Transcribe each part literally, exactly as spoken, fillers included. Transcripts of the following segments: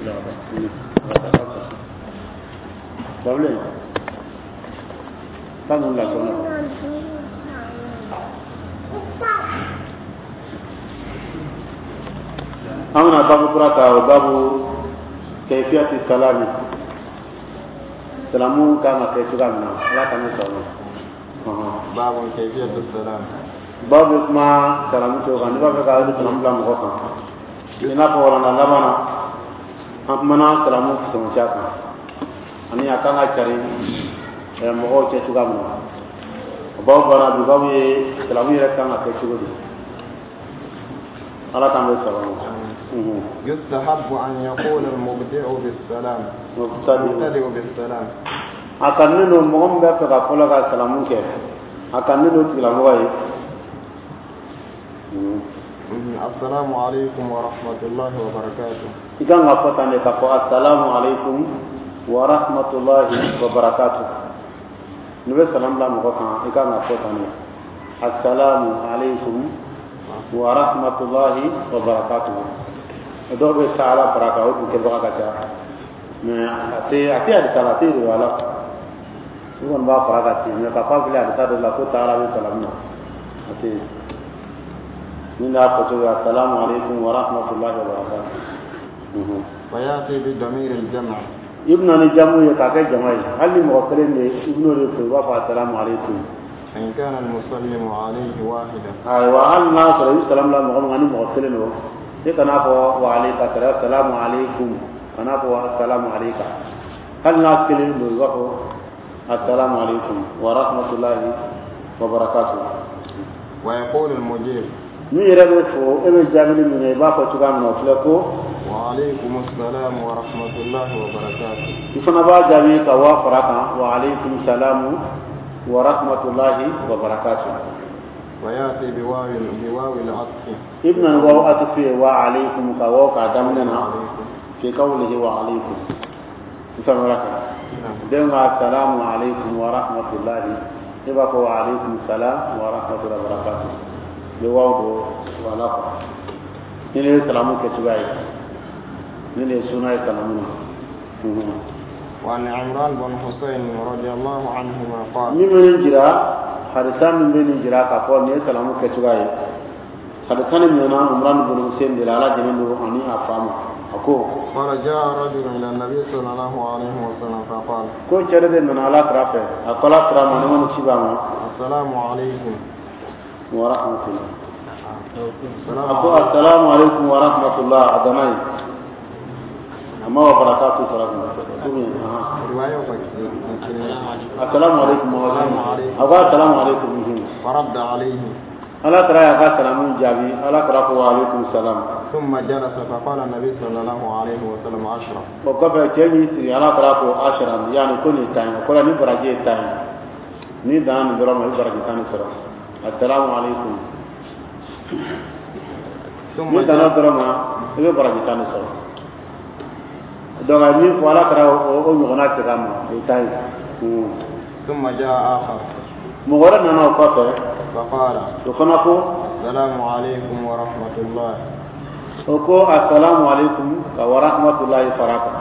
Bila ka taa. Babilen. Taa ninnu bila sɔnna. An bɛna babu kura ta, o babu kayfiyati salami, salamu kan ka kɛ cogoya min na. Ala ka ne sɔrɔ. باب كيفية السلام. Babu bɛ kuma salamu cogo kan. N'i b'a fɛ ka salamu bila mɔgɔ kan, i n'a fɔ walanda laban na, an kumana salamu fisamanciya kan ani a kan ka cari mɔgɔw cɛ cogoya min na. O babu banna. Bi babu ye salamu yɛrɛ kan ka kɛ cogo di. Ala k'an bɛ saba ma. يستحب أن يقول المبدئ بالسلام. مبتدئ. المبتدئ بالسلام. A kanunen don, mɔgɔ min bɛ fɛ ka fɔlɔ ka salamu kɛ, a kanunen don tigilamɔgɔ ye. السلام عليكم ورحمة الله وبركاته. I kan ka fɔ tan de, k'a fɔ assalamu alaikum wa rahmatullahi wa barakatuh. N'i bɛ salam bila mɔgɔ kan, i kan ka fɔ tan de, assalamu alaikum wa rahmatullahi wa barakatuh. Dɔw bɛ taala fara kan, o dun kɛbaga ka ca, mais a tɛ a tɛ hadisa la, a tɛ riwaya la. I kɔni b'a fara kan ten, mais ka fɔ a filɛ hadisa dɔ la ko taala bɛ salamu na, a tɛ yen. Min y'a fɔ cogo ye, assalamu alaikum wa rahmatullahi wa barakatuh. ويأتي بضمير الجمع. I bɛna ni jamu ye k'a kɛ jama ye. Hali ni mɔgɔ kelen de, i bɛn'o de fɔ, i b'a fɔ assalamu alaikum. إن كان المسلم عليه واحدا. Ayiwa, hali n'a sɔrɔ i bɛ salamu bila mɔgɔ min kan, ni mɔgɔ kelen don, e kan'a fɔ wa aleyka salam, assalamu alaikum, kan'a fɔ assalamu aleyka. Hali n'a kelen don, i b'a fɔ assalamu alaikum wa rahmatullahi wa barakatuh. ويقول المجيب. Min yɛrɛ bɛ fo, e bɛ jaabili min kɛ, i b'a fɔ cogoya min na, o filɛ ko: وعليكم السلام ورحمة الله وبركاته. I fana b'a jaabi ka wa fara kan, wa aleykum salamu wa rahmatullahi wa barakatuh. ويأتي بواو بواو العطف. I bɛna ni waw atifu ye, wa aleykum, ka waw k'a daminɛ na. عليكم. Fi qawlihi wa aleykum, i faamuyara kan? نعم. Den ka assalamu aleykum wa rahmatullahi, i b'a fɔ wa aleykum salam wa rahmatullahi wa barakatuh. I bɛ waw don wala kɔ. Ni ne ye salamu kɛ cogoya ye, ni ne ye suna ye salamu na. وعن عمران بن حسين رضي الله عنهما قال: Min bɛ nin jira, hadisa min bɛ nin jira k'a fɔ nin ye salamu kɛ cogoya ye, hadisa nin minɛna Umran bin Hussein de la, Ala jɛnnen don ani a fa ma, a ko: قال: جاء رجل إلى النبي صلى الله عليه وسلم فقال: Ko cɛ dɔ de nana Ala kira fɛ, a ko Ala kira ma, ne ma ni ci b'a ma: السلام عليكم. Wa rahmatullah. السلام A ko: عليكم. Assalamu alaikum wa rahmatullah. A dana ye, a ma wa barakatu fara kan ou bien ahan. رواية. Assalamu alaikum wa rahmatullah. A ko assalamu alaikum mhm. فرد عليه. Ala kira y'a ka salamu jaabi. Ala kira ko: wa alaikum salam. ثم جلس، فقال النبي صلى الله عليه وسلم: عشرة. O kɔfɛ, cɛ y'i sigi, Ala kira ko: ashara, yani ko nin tan ye. O kɔrɔ, ni baraji ye tan ye, n'i danna nin dɔrɔn ma, i bɛ baraji tan de sɔrɔ, assalamu alaikum. ثم N'i danna جلس. dɔrɔn ma, i bɛ baraji tan de sɔrɔ. Donc a ye min fɔ, Ala kira o o ɲɔgɔnna segin a ma, o ye tan ye Hmm. ثم جاء آخر. Mɔgɔ wɛrɛ nana o kɔfɛ. فقال: O fana ko: السلام عليكم ورحمة الله. O ko: assalamu alaikum, ka wa rahmatullahi fara kan.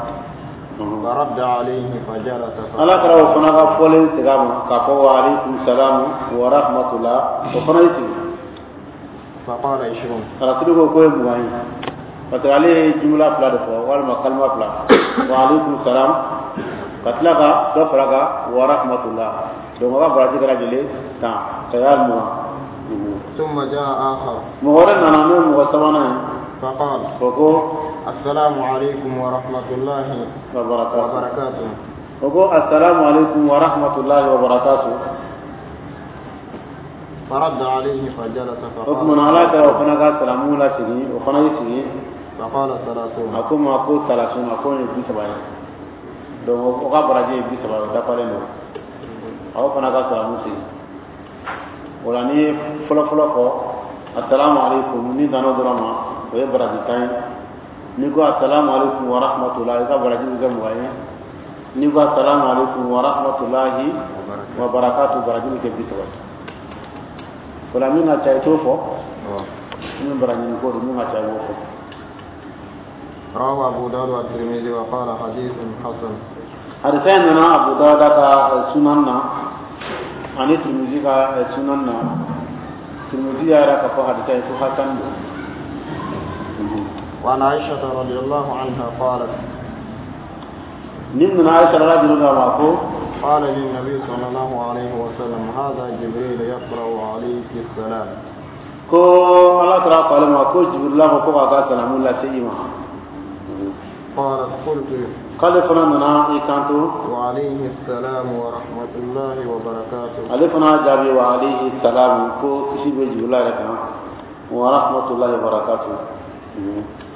Mhm. فرد عليه فجلس. Ala فقال kɛra o fana ka fɔlen segin a ma k'a fɔ wa alaikum salamu wa rahmatullah. O fana y'i sigi. فقال: عشرون. Kalatigi ko k'o ye mugan ye, parce que ale ye jumla fila de fɔ, walima kalima fila, wa alaikum salam, ka tila ka dɔ fara kan, wa rahmatullah. Donc o ka baraji kɛra joli? Tan, ka y'a mugan. Mhm. ثم جاء آخر. Mɔgɔ wɛrɛ nana, n'o ye mɔgɔ sabanan ye. فقال: O ko: السلام عليكم ورحمة الله wa barakatuh. وبركاته. O ko: assalamu alaikum wa rahmatullahi wa barakatuh. فرد عليه فجلس. O tuma فقال na, Ala kɛra o fana ka salamu lasegin, o fana y'i sigi. فقال: ثلاثون. A ko ma ko salasuna, a ko nin ye bi saba ye. Donc o ka baraji ye bi saba ye, o dafalen don. Aw fana ka salamu segin o la. N'i ye fɔlɔ fɔlɔ fɔ assalamu alaikum, ni danna o dɔrɔn ma, o ye baraji tan ye. N'i ko assalamu alaikum wa rahmatullah, i ka baraji bɛ kɛ mugan ye. N'i ko assalamu alaikum wa rahmatullahi wa barakatu, baraji bɛ kɛ bi saba ye. O la, min ka ca, i t'o fɔ. Min bara ɲini ko don, min ka ca, i b'o fɔ. رواه أبو داود والترمذي وقال حديث حسن. Hadisa in nana Abu Dawuda ka sunan na ani Tirmizi ka sunan na. Tirmizi y'a yira k'a fɔ hadisa in ko hasan don. وعن عائشة رضي الله عنها قالت Nin nana Aisha ala juru ma ko قال للنبي صلى الله عليه وسلم هذا جبريل يقرأ عليك السلام. Ko ala kira ko ale ma ko Jibrila ko ko k'a ka salamu lase i ma. قالت قلت K'ale fana nana i kanto وعليه السلام ورحمة الله وبركاته. Ale fana jaabi wa alayhi salamu, ko kisi bɛ Jibrila yɛrɛ kan, wa rahmatullahi wa barakatuh.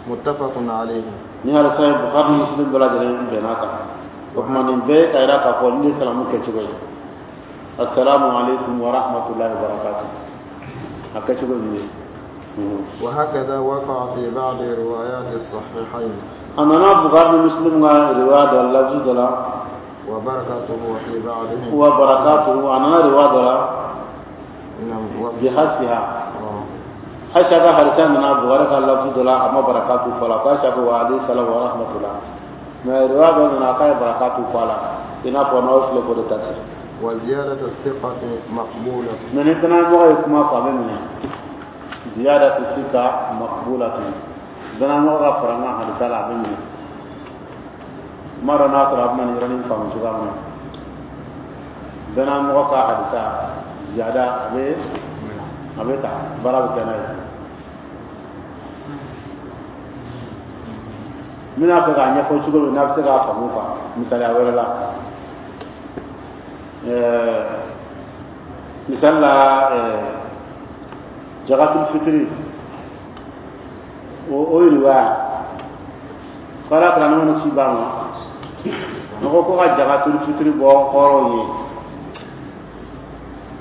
متفق عليه. Ni hadisa ye, Bukhari ni Muslim bɛɛ lajɛlen bɛn'a kan. O tuma nin bɛɛ ka yira k'a fɔ nin ye salamu kɛcogo ye: assalamu alaikum wa rahmatullahi wa barakatuh. A kɛcogo nin ye. وهكذا وقع في بعض روايات الصحيحين. A nana Bukhari ni Muslim ka riwaya dɔ lafzi dɔ la وبركاته في بعضهم. Wa barakatuhu, a nana riwaya dɔ la نعم وفي bihasfiha. آه. Aisha ka hadisa nana Bukhari ka lafzi dɔ la, a ma barakatu fɔ la, ko Aisha ko wa alayhi salam wa rahmatullah, mais riwaya dɔ nana k'a ye barakatu fɔ a la, i n'a fɔ n'aw filɛ k'o de ta sisan. وزيادة الثقة مقبولة. Mais ni danamɔgɔ ye kuma fɔ, a bɛ minɛ. زيادة الثقة مقبولة. Danamɔgɔ ka fara n ka hadisa la, a bɛ minɛ. N m'a dɔn n'a sɔrɔ a bɛna nin yɔrɔnin faamu cogoya min na. Danamɔgɔ ka hadisa ziyada, a bɛ a bɛ ta, baara bɛ kɛ n'a ye. N bɛna fɛ k'a ɲɛfɔ cogo min n'a bɛ se k'a faamu quoi. Misaliya wɛrɛ la, ɛɛ misali la, ɛɛ jakatul fitiri, o o riwaya ko ala kira ne ci ba ma ne ko ko ka jakatul fitiri bɔ hɔrɔnw ye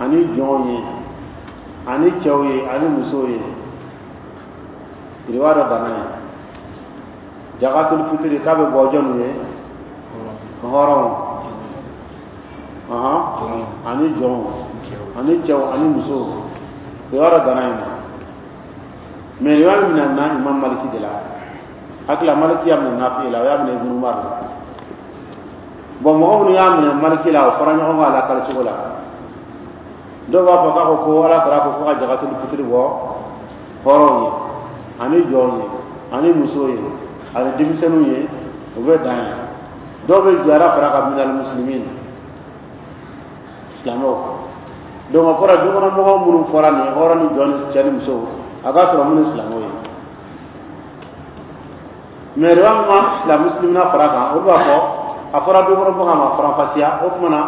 ani jɔnw ye ani cɛw ye ani musow ye. Riwaya dɔ danna ye jakatul fitiri k'a bɛ bɔ jɔnw ye? Hɔrɔnw ɔhɔn ani jɔnw ani cɛw ani musow. Riwaya dɔ danna yen nɔ. Mais riwaya min nana Imam Maliki de la, hakili la Maliki y'a minɛ Nafi la, o y'a minɛ Ibn Umar la. Bon, mɔgɔ minnu y'a minɛ Maliki la, o fɔra ɲɔgɔn kɔ a lakali cogo la. Dɔw b'a fɔ k'a ko ko ala kira ko ko ka jakatul fitiri bɔ hɔrɔnw ye ani jɔnw ye ani musow ye ani denmisɛnninw ye, o bɛ dan ye. Dɔw bɛ ziyara fara ka minal muslimin, silamɛw. Donc o kɔrɔ, dukɔnɔmɔgɔ minnu fɔra nin ye, hɔrɔn ni jɔn ni cɛ ni muso, a ka sɔrɔ minnu silamɛw ye. Mais riwaya min ma silamɛ muslimina fara kan, olu b'a fɔ a fɔra dukɔnɔmɔgɔ ma faranfasiya. O tuma na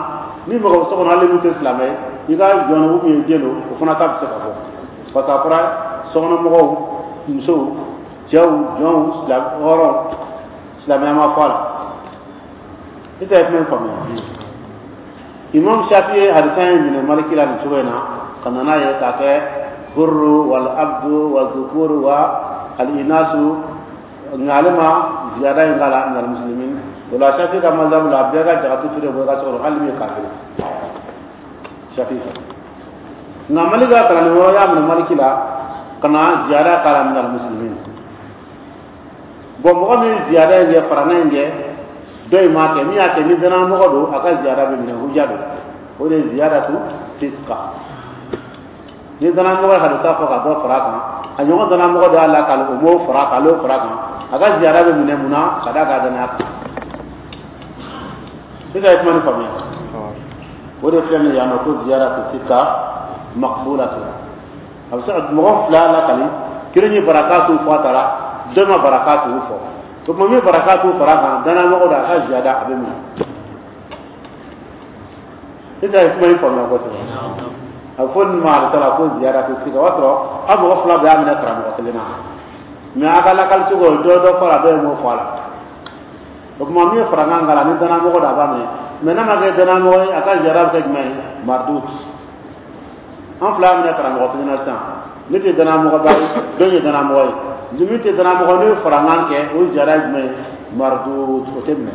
ni mɔgɔ bɛ so kɔnɔ, hali min tɛ silamɛ ye, i ka jɔn ou bien den don, o fana ta bɛ se ka bɔ, parce que a fɔra sokɔnɔmɔgɔw, musow, cɛw, jɔnw, silamɛ, hɔrɔnw, silamɛya ma fɔ a la. I tɛ kuma in faamuya. Imam Shafi ye hadisa in minɛ Maliki la nin cogo in na ka na n'a ye k'a kɛ hurru wal abdu wa dhukuru wa al inasu, nka ale ma ziyada in k'a la minal muslimin. O la Shafi ka mazhabu la, bɛɛ ka jakatu feere bɔ i ka so kɔnɔ, hali min ye kafiri, Shafi fɛ. Nka Maliki ka kalanden wɛrɛ y'a minɛ Maliki la ka na ziyada k'a la minal muslimin. Bon, mɔgɔ min ye ziyada in kɛ, faranna in kɛ, dɔ in m'a kɛ. Min y'a kɛ, ni danamɔgɔ don, a ka ziyada bɛ minɛ, huja don. O de ye ziyadatu fisqa. Ni danamɔgɔ ye hadisa fɔ ka dɔ fara a kan, a ɲɔgɔn danamɔgɔ dɔ y'a lakali, o m'o fara a kan, ale y'o fara a kan, a ka ziyada bɛ minɛ. Mun na? Ka d'a ka danaya kan. Sisan ye kuma nin faamuya. O de filɛ nin ye yan nɔ ko ziyadatu fisqa maqbulatu. A bɛ se ka mɔgɔ fila lakali, kelen ye barakatu fɔ a taara, dɔ ma barakatu fɔ. O tuma min ye barakatu fara a kan, danamɔgɔ don, a ka ziyada a bɛ minɛ. Sisan ye kuma in faamuya kosɛbɛ. A bɛ fɔ nin ma hadisa la ko ziyadatu fisqa. O y'a sɔrɔ aw mɔgɔ fila bɛɛ y'a minɛ karamɔgɔ kelen na, mais a ka lakali cogo, dɔ dɔ fɔ a la, dɔ ye m'o fɔ a la. O tuma min ye farankan k'a la, ni danamɔgɔ don, a b'a minɛ. Mais n'a ma kɛ danamɔgɔ ye, a ka ziyada bɛ kɛ jumɛn ye? Mardut. An fila y'a minɛ karamɔgɔ kelen na sisan, ne tɛ danamɔgɔba ye, dɔ ye danamɔgɔ ye. Ni min tɛ danamɔgɔ, n'o ye farankan kɛ, o ziyada ye jumɛn ye? Mardut, o tɛ minɛ.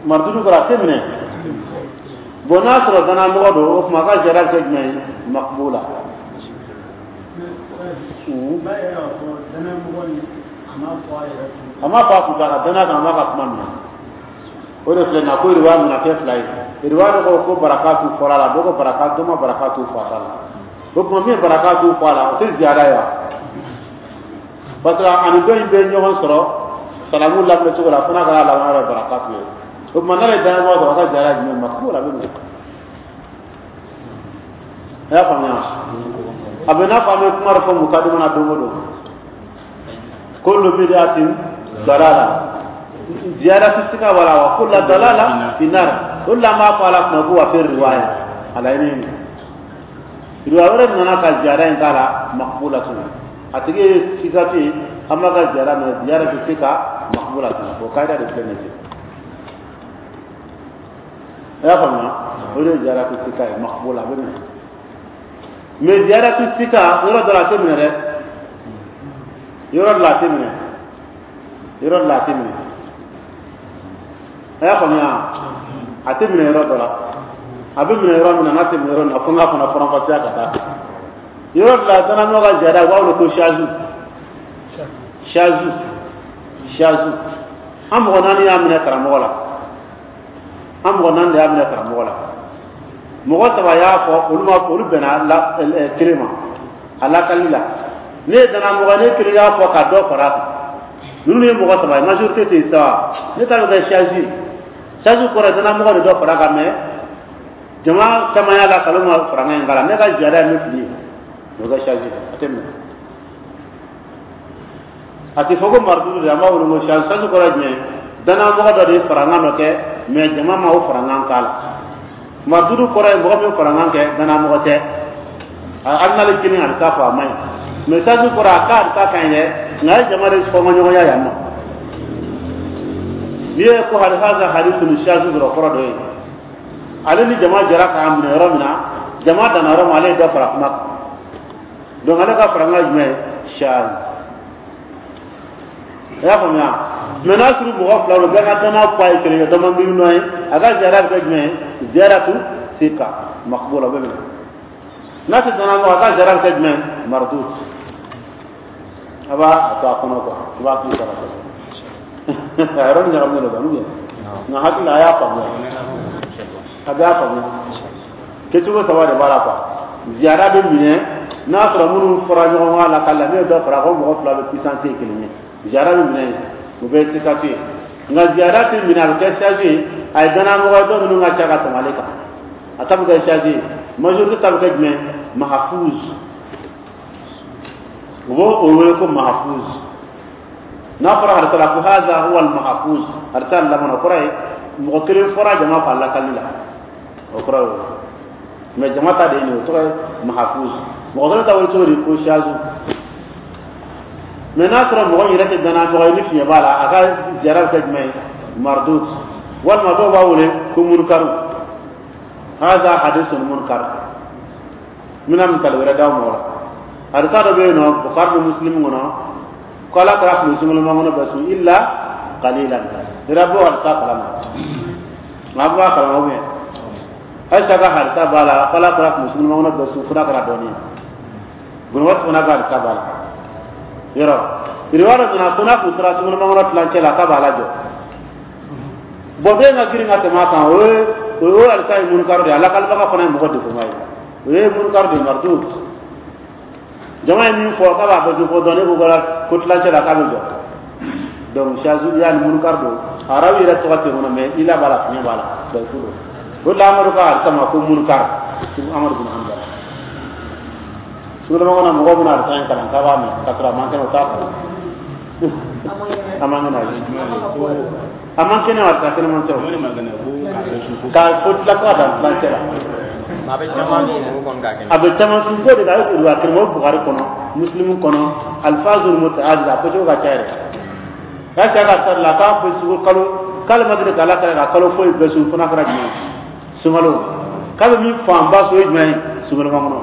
Mardudu kɔrɔ, a tɛ minɛ. Bon, n'a sɔrɔ danamɔgɔ don, o tuma a ka ziyada bɛ kɛ jumɛn ye? Maqbula. B'a yɛrɛ k'a fɔ danayamɔgɔ ni a m'a fɔ a yɛrɛ kun. A m'a fɔ a kun, a ka danaya kan, a m'a ka kuma minɛ. O de filɛ nin ye ko riwaya nana kɛ fila ye. Riwaya dɔ ko ko barakatu fɔra a la, dɔ ko barakatu, dɔ ma barakatu fɔ a ta la. O tuma, min ye barakatu fɔ a la, o tɛ ziyada ye wa? Parce que ani dɔ in bɛ ɲɔgɔn sɔrɔ salamu laminɛ cogo la, fo n'a kɛra laban yɔrɔ barakatu ye. O tuma, n'ale ye danayamɔgɔ sɔrɔ, a ka ziyada jumɛn ma k'o la bɛ minɛ. A y'a faamuya? A bɛ n'a fɔ an bɛ kuma dɔ fɔ mukadima na don o don: kullu bid'atin dalala, ziyada fi sika wala wa kullu dalala fi nar. O de la, an b'a fɔ a la kuma ko wa fi riwaya, a laɲini ye riwaya wɛrɛ nana ka ziyada in k'a la, maqbulatun. A tigi ye sikatu ye, an b'a ka ziyada minɛ, ziyada fi sika maqbulatun. O kayida de filɛ nin ye. A y'a faamuya? O de ye ziyada fi sika ye, maqbula, a bɛ minɛ. Mais ziyada fi sika, yɔrɔ dɔ la a tɛ minɛ dɛ, yɔrɔ dɔ la a tɛ minɛ, yɔrɔ dɔ la a tɛ minɛ. A y'a faamuya? A tɛ minɛ yɔrɔ dɔ la. A bɛ minɛ yɔrɔ min na, n'a tɛ minɛ yɔrɔ min na, fo n k'a fana faranfasiya ka taa yɔrɔ dɔ la. Danamɔgɔ ka ziyada, u b'a wele ko shazu, shazu, shazu. An mɔgɔ naani y'a minɛ karamɔgɔ la, an mɔgɔ naani de y'a minɛ karamɔgɔ la. Mɔgɔ saba y'a fɔ, olu ma, olu bɛnna la kelen ma a lakali la. Ne ye danamɔgɔ, ne kelen y'a fɔ ka dɔ fara a kan. Ninnu ye mɔgɔ saba ye, majorité tɛ yen sa. Ne ta bɛ kɛ shazi. Shazi kɔrɔ ye danamɔgɔ de dɔ fara a kan, mais jama caman y'a la kalo ma farankan in k'a la. Ne ka ziyada ye min fili ye, o bɛ kɛ shazi, a tɛ minɛ. A tɛ fɔ ko maridudu de, an b'a wele ko shazi. Shazi kɔrɔ ye jumɛn ye? Danamɔgɔ dɔ de ye farankan dɔ kɛ, mais jama ma o farankan k'a la. Maridudu kɔrɔ ye mɔgɔ min farankan kɛ, danamɔgɔ tɛ, hali n'ale kelen a bɛ taa fɔ a man ɲi. Mais shazi kɔrɔ, a k'a bɛ taa ka ɲi dɛ, nka a ye jama de fɔnkɔɲɔgɔnya yan nɔ. N'i ye ko hali haza hadithun shazi dɔrɔn, kɔrɔ dɔ ye ale ni jama jɛra k'a minɛ yɔrɔ min na, jama danna yɔrɔ min, ale ye dɔ fara kuma kan. Donc ale ka farankan jumɛn ye? Shazi. I y'a faamuya? Mais n'a sɔrɔ mɔgɔ fila don, bɛɛ ka danaya fɔ a ye kelen ye, dɔ ma miiri nɔ ye, a ka ziyara bɛ kɛ jumɛn ye? Ziyaratu sika maqbula, o bɛ minɛ. N'a tɛ danaya mɔgɔ, a ka ziyara bɛ kɛ jumɛn ye? Mardud. A b'a a to a kɔnɔ quoi, i b'a k'i sara a yɔrɔ ni ɲagaminen don quoi, nka hakili la a y'a faamuya, a bɛ y'a faamuya. Kɛcogo saba de b'a la quoi. Ziyara bɛ minɛ n'a sɔrɔ minnu fɔra ɲɔgɔn kɔ a la ka la, min ye dɔ fara ko mɔgɔ fila bɛ puissance ye kelen ye, ziyara bɛ minɛ yen, o bɛ sikatu ye. Nka ziyara tɛ minɛ, a bɛ kɛ shazi ye. A ye danayamɔgɔ ye, dɔ minnu ka ca ka tɛmɛ ale kan, a ta bɛ kɛ shazi ye. Majorité ta bɛ kɛ jumɛn? Mahfuz. U b'o o wele ko mahfuz. N'a fɔra hadisa la ko haza huwa al mahfuz, hadisa laban, o kɔrɔ ye mɔgɔ kelen fɔra jama fɛ a lakali la, o kɔrɔ ye o. Mais jama ta de ye nin ye, o tɔgɔ ye mahfuz. Mɔgɔ kelen ta wele cogo di? Ko shazu. Mais n'a sɔrɔ mɔgɔ yɛrɛ tɛ danaya mɔgɔ ye, ni fiɲɛ b'a la, a ka ziyara bɛ kɛ jumɛn ye? Mardud. Walima dɔw b'a wele ko munkaru, haza hadithun munkar. N bɛna misali wɛrɛ d'aw ma o la. Hadisa dɔ bɛ yen nɔ, Bukhari ni Muslim kɔnɔ, ko Ala kɛra tun bɛ sunkalo makɔnɔ bɛɛ sun illa qalilan. Ira b'o hadisa kalama, nka a b'a kalama ou bien? Ayisa ka hadisa b'a la ko Ala kɛra tun bɛ sunkalo makɔnɔ bɛɛ sun fo n'a kɛra dɔɔnin ye. Bunawati fana ka hadisa b'a la. Yɔrɔ riwaya dɔ nana ko n'a kun sera sunkalo makɔnɔ tilancɛ la, k'a b'a lajɔ. Bɔn, bɛɛ ka girin ka tɛmɛ a kan, o ye o ye hadisa ye munkar de ye. A lakalibaga fana ye mɔgɔ defoma ye, o ye munkar de ye, mardud. Jama ye min fɔ k'a b'a bɛɛ dun fɔ dɔɔnin, e ko ko tilancɛ la k'a bɛ jɔ. Donc shazu yani munkar don, arabu yɛrɛ tɔgɔ tɛ kɔnɔ, mais ila b'a la, fiɲɛ b'a la, dayifu don. O de la, Amadu ka hadisa ma ko munkar. Amadu bin Hanbal, sunkalo kɔnɔ mɔgɔw bɛna hadisa in kalan k'a b'a mɛn ka sɔrɔ a man kɛnɛ, o t'a kalan, a man kɛnɛ, a man kɛnɛ, hadisa kɛnɛman tɛ o k'a fɔ tila fo ka dan tilancɛ la. A bɛ caman sun kɔni k'a kɛnɛ. A bɛ caman sun ko de la, a ye riwaya kelen o Bukhari kɔnɔ, Muslim kɔnɔ, alfazul mutaadid, a fɔcogo ka ca yɛrɛ. K'a cɛ ka sari la k'a bɛ sugu kalo, k'ale ma deli k'Ala kɛlɛ ka kalo foyi bɛɛ sun fo n'a kɛra jumɛn ye? Sunkalo. K'a bɛ min fanba sun, o ye jumɛn ye? Sunkalo makɔnɔ.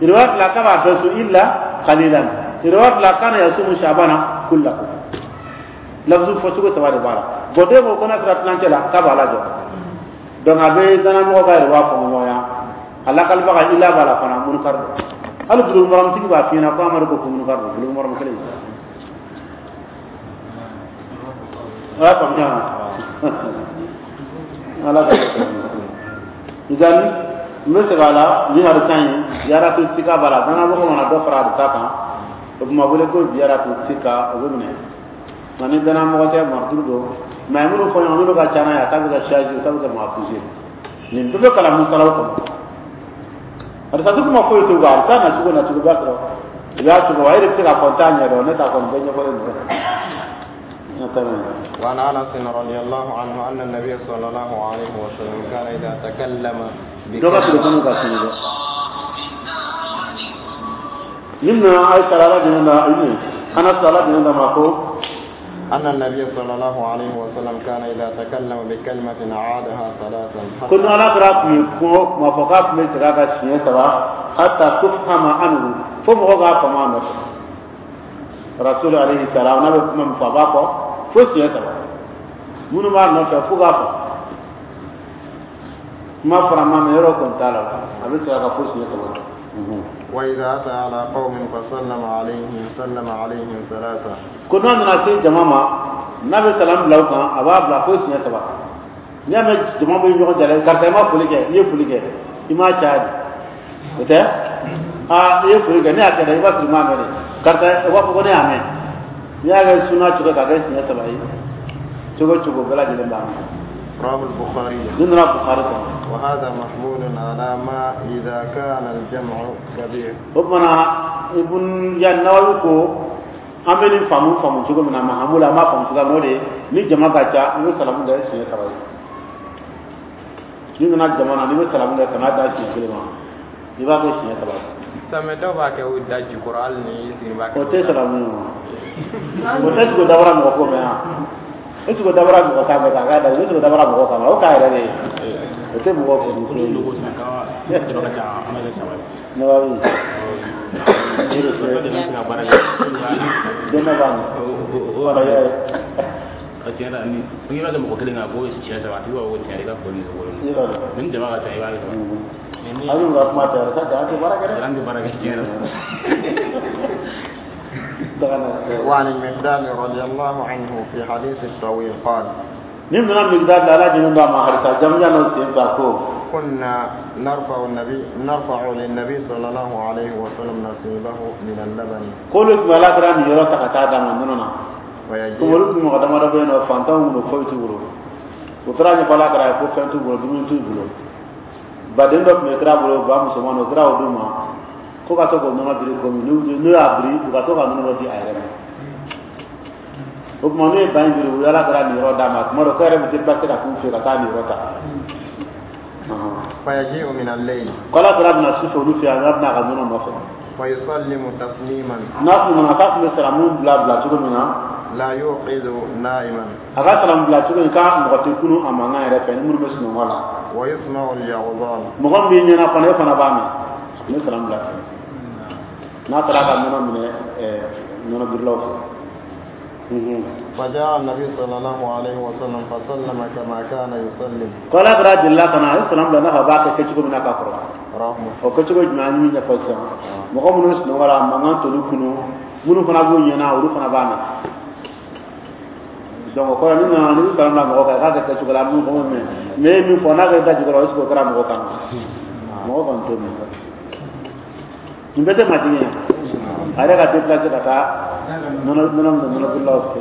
Riwaya fila, k'a b'a bɛɛ sun illa qalilan. Riwaya fila, kana yasumu shabana kullahu. Lafzu fɔcogo saba de b'a la. Bɔn, den ko ko n'a sera tilancɛ la, k'a b'a lajɔ. Donc a bɛ danamɔgɔ ka riwaya fɔ ɲɔgɔnya, a lakalibaga ila b'a la fana, munkar don. Hali Bulugu Maramutigi b'a f'i ɲɛna ko Amadu ko ko munkar don Bulugu Maramu kelen. A y'a faamuya ala ka idan n bɛ segin a la ni hadisa in ziyaratu sika b'a la danamɔgɔ mana dɔ fara hadisa kan o tuma wele ko ziyaratu sika o bɛ minɛ nka ni danamɔgɔ tɛ marturu don mɛ minnu fɔ ɲɔgɔn minnu ka ca n'a ye a ta bɛ kɛ shazi o ta bɛ kɛ mafuzi nin bɛɛ bɛ kalan musalaw kɔnɔ hadisa tɛ kuma foyi t'o kan hadisa nacogo nacogo b'a sɔrɔ i y'a cogo wa e de bɛ se k'a fɔ n t'a ɲɛdɔn ne t'a kɔni bɛɛ ɲɛfɔlen don. وعن انس رضي الله عنه ان النبي صلى الله عليه وسلم كان اذا تكلم بكلمه مما عائشة رضي الله عنها أنس رضي الله عنه أن النبي صلى الله عليه وسلم كان إذا تكلم بكلمة عادها ثلاثا كنا على قراءة ما فقط من تراك حتى تفهم عنه فمغا فما نفسه رسول عليه السلام نبي من فباكو fo siɲɛ saba minnu b'a nɔfɛ fo k'a fɔ kuma fara ma mɛ yɔrɔ kɔni t'a la a bɛ segin a kan fo siɲɛ saba. وإذا أتى على قوم فسلم عليهم سلم عليهم ثلاثة. Ko n'a nana se jama ma n'a bɛ salam bila u kan a b'a bila fo siɲɛ saba n'i y'a mɛn jama bɛ ɲɔgɔn jala karisa i ma foli kɛ i ye foli kɛ i m'a caya de o tɛ aa i ye foli kɛ ne y'a kɛ dɛ i b'a sɔrɔ i m'a mɛn dɛ karisa u b'a fɔ ko ne y'a mɛn. N'i y'a kɛ suna cogo k'a kɛ siɲɛ saba ye cogo cogo bɛɛ lajɛlen b'a mɛn. رواه البخاري. Nin nana Bukhari kɔnɔ. وهذا محمول على ما إذا كان الجمع كبير. O tuma Ibn ya Nawawi ko an bɛ nin faamu faamu cogo min na mahamulu an b'a faamu cogoya min na o de ye ni jama ka ca i bɛ salamu kɛ siɲɛ saba ye n'i nana jama na n'i bɛ salamu kɛ kana da siɲɛ kelen ma i b'a kɛ siɲɛ saba ye. Sami dɔw b'a kɛ o da jukɔrɔ hali ni i sigi b'a kɛ. O tɛ salamu ye o tɛ sogo dabara mɔgɔ ko mɛn yan e sogo dabara mɔgɔ kan mɛn k'a k'a da e sogo dabara mɔgɔ kan o k'a yɛrɛ de ye o tɛ mɔgɔ ko ni logo san ka jama ka ca an b'a kɛ saba ye. Nawawi den b'a ɲɛ o o tiɲɛ na ni n'i b'a kɛ mɔgɔ kelen kan ko siɲɛ saba a tigi b'a fɔ ko tiɲɛ i ka foli ni wolo ni jama ka ca i b'a kɛ saba. A bɛ ka kuma tɛ sa an tɛ baara kɛ dɛ. An tɛ baara kɛ tiɲɛ na. وعن المقدام رضي الله عنه في حديث الطويل قال نمنا المقدام لا جنون ما حدث جمع نسيم تاكو كنا نرفع النبي نرفع للنبي صلى الله عليه وسلم نصيبه من اللبن كل ما لا ترى يرى تقطع مننا ويجي كل مقدم ربنا فانتم ونفوت وترى فلا ترى فانتم ونفوت baden dɔ tun bɛ kira bolo ba musoman o kira o d'u ma ko ka to k'o nɔnɔ biri komi n'u y'a biri u ka to ka nɔnɔ dɔ di a yɛrɛ ma o tuma n'u ye ba in biri u y'ala kɛra nin yɔrɔ d'a ma tuma dɔ ko yɛrɛ bɛ déplacer ka t'u fɛ ka taa nin yɔrɔ ta. فيجيء من الليل ko ala kɛra bɛna su fɛ olu fɛ yan n'a bɛna a ka nɔnɔ nɔfɛ. ويسلم تسليما n'a tun nana k'a tun bɛ salamu bila bila cogo min na. لا يوقظ نائما a ka salamu bila cogo in k'a mɔgɔ tɛ kunu a mankan yɛrɛ fɛ ni minnu bɛ sunɔgɔ la. ويسمع اليغضان mɔgɔ min b'i ɲɛna fana e fana b'a mɛn n bɛ salamu bila ten n'a taara ka nɔnɔ minɛ ɛɛ nɔnɔ birilaw fɛ. فجاء النبي صلى الله عليه وسلم فسلم كما كان يسلم ko ala kɛra delila ka na a ye salamu bila n'a fɔ a b'a kɛ kɛcogo min na k'a kɔrɔ. رواه مسلم o kɛcogo jumɛn an ye min ɲɛfɔ sisan mɔgɔ minnu sunɔgɔ la mankan t'olu kunu minnu fana b'u ɲɛna olu fana b'a mɛn. Donc o kɔrɔ ni nana ni bɛ salamu bila mɔgɔ kan k'a kɛ kɛcogo la min fɔ mɛn mais e ye min fɔ n'a kɛra da jukɔrɔ est ce que o kɛra mɔgɔ kan mɔgɔ kɔni t'o mɛn nin bɛɛ tɛ majigin ye a yɛrɛ ka déplacer ka taa nɔnɔ nɔnɔ minɛ nɔnɔ birilaw fɛ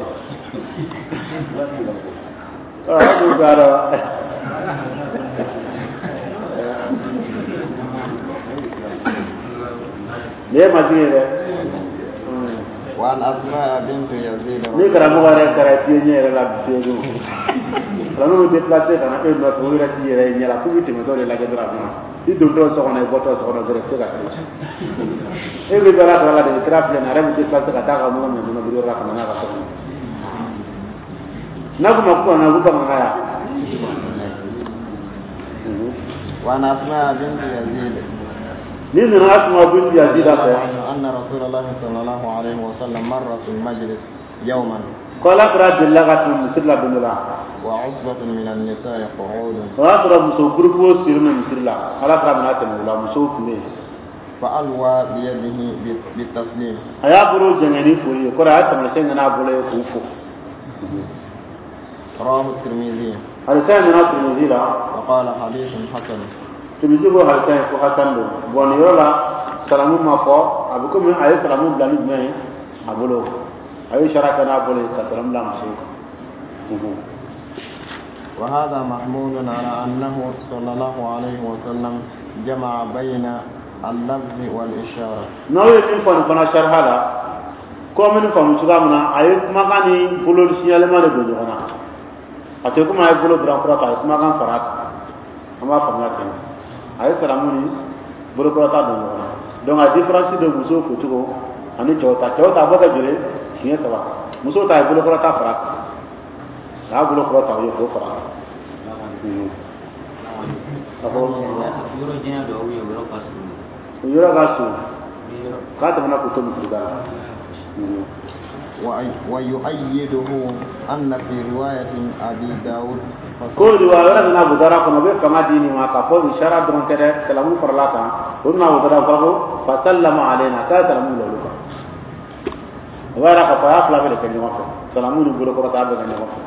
ɔ an b'u ka dɔn nin ye majigin ye dɛ. وعن أسماء بنت يزيد ni karamɔgɔ yɛrɛ kɛra fiye ɲɛ yɛrɛ la fiye don karamɔgɔ bɛ déplacer ka na e nɔfɛ o yɛrɛ t'i yɛrɛ ye ɲɛ la k'u bɛ tɛmɛtɔ de lajɛ dɔrɔn a bɛ na i dontɔ so kɔnɔ i bɔtɔ so kɔnɔ dɔrɔn i tɛ se ka kɛ e bɛ baara sɔrɔ la de kira filɛ nin ye a yɛrɛ bɛ déplacer ka taa ka nɔnɔ minɛ nɔnɔ biriyɔrɔ la ka na n'a ka so kɔnɔ n'a ko ma ko ka na ko bamanankan ya. وعن أسماء بنت يزيد ni nana Asma bint Yazid fɛ أن رسول الله صلى الله عليه وسلم مر في المجلس يوما ko ala kɛra delila ka tɛmɛ misiri la don dɔ la وعصبة من النساء قعود o y'a sɔrɔ muso gurupu sigilen bɛ misiri la ala kɛra bɛna tɛmɛ o la musow tun bɛ yen فألوى بيده بالتسليم. A y'a bolo jɛngɛ ni foli ye, kɔrɔ a ye taamasiyɛn kɛ n'a bolo ye k'u fo. رواه الترمذي. Hadisa in nana Tirimizi la. وقال حديث حسن. Tirimizi ko hadisa in ko hasan don. Bon, nin yɔrɔ la, salamu ma fɔ. A bɛ komi a ye salamu bila ni jumɛn ye? A bolo. A ye sara kɛ n'a bolo ye ka salamu bila musow kan. وهذا محمول على أنه صلى الله عليه وسلم جمع بين اللفظ والإشارة. N'aw ye min fɔ nin fana sariya la, ko min faamu cogoya min na, a ye kumakan ni bolo signalema de don ɲɔgɔn na. A tɛ komi a ye bolo dɔrɔn kɔrɔta, a ye kumakan fara a kan. An b'a faamuya ten, a ye salamu ni bolokɔrɔta don ɲɔgɔn na. Donc a différence de musow focogo ani cɛw ta, cɛw ta a bɔ kɛ joli siɲɛ saba, musow ta a ye bolokɔrɔta fara a kan, a y'a bolo kɔrɔta o ye k'o fara a kan. A fɔ yɔrɔ janya dɔ ou bien yɔrɔ ka surun? O yɔrɔ ka surun k'a tɛmɛna k'o to misiri da la. ويؤيده أن في رواية أبي داود. Ko riwaya wɛrɛ nana Bukara kɔnɔ, o bɛ fanga di nin ma k'a fɔ isara dɔrɔn tɛ dɛ, salamu farala kan. O nana Bukara fɔ ko فسلم علينا, k'a ye salamu bila olu kan. O b'a yira k'a fɔ a y'a fila bɛɛ de kɛ ɲɔgɔn fɛ, salamu ni bolokɔrɔta bɛɛ kɛ ɲɔgɔn fɛ.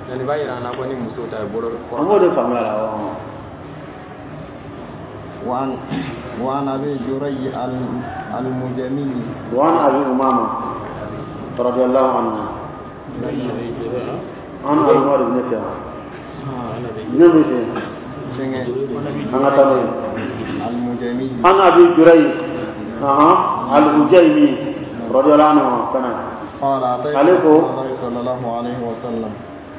Yani b'a yira an na ko ni muso ta ye bolo. An b'o de faamuya la. وعن وعن أبي جري المجمي. وعن أبي أمامة رضي الله عنه عن أبي عمر بن فيها نبي أنا تاني. المجمي. عن أبي جري أها الهجيمي رضي الله عنه كان قال أتيت عليكم. رسول الله صلى الله عليه وسلم.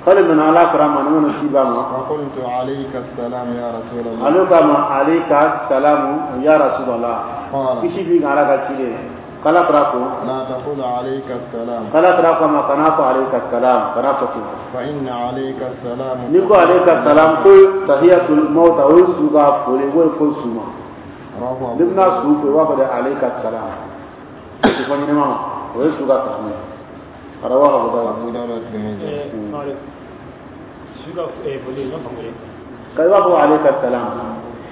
قال من على كرام من نسيبا. فقلت عليك السلام يا رسول الله. عليك عليك السلام يا رسول الله. قال kisi bi ala ka cile kala kira ko لا تقل عليك السلام. Kala kira ko ma kana ko عليك السلام, kana fɔ ten. فإن عليك السلام Ni ko عليك السلام, ko تحية الموتى, o ye su ka foli, o ye fo su ma. رواه Ni bɛna su fo, i b'a fɔ de عليك السلام, o tɛ fɔ ɲɛnɛma ma, o ye su ka salamu ye. رواه أبو داود. أبو داود والترمذي. Su ka foli ma faamu dɛ. Ka i b'a fɔ عليك السلام,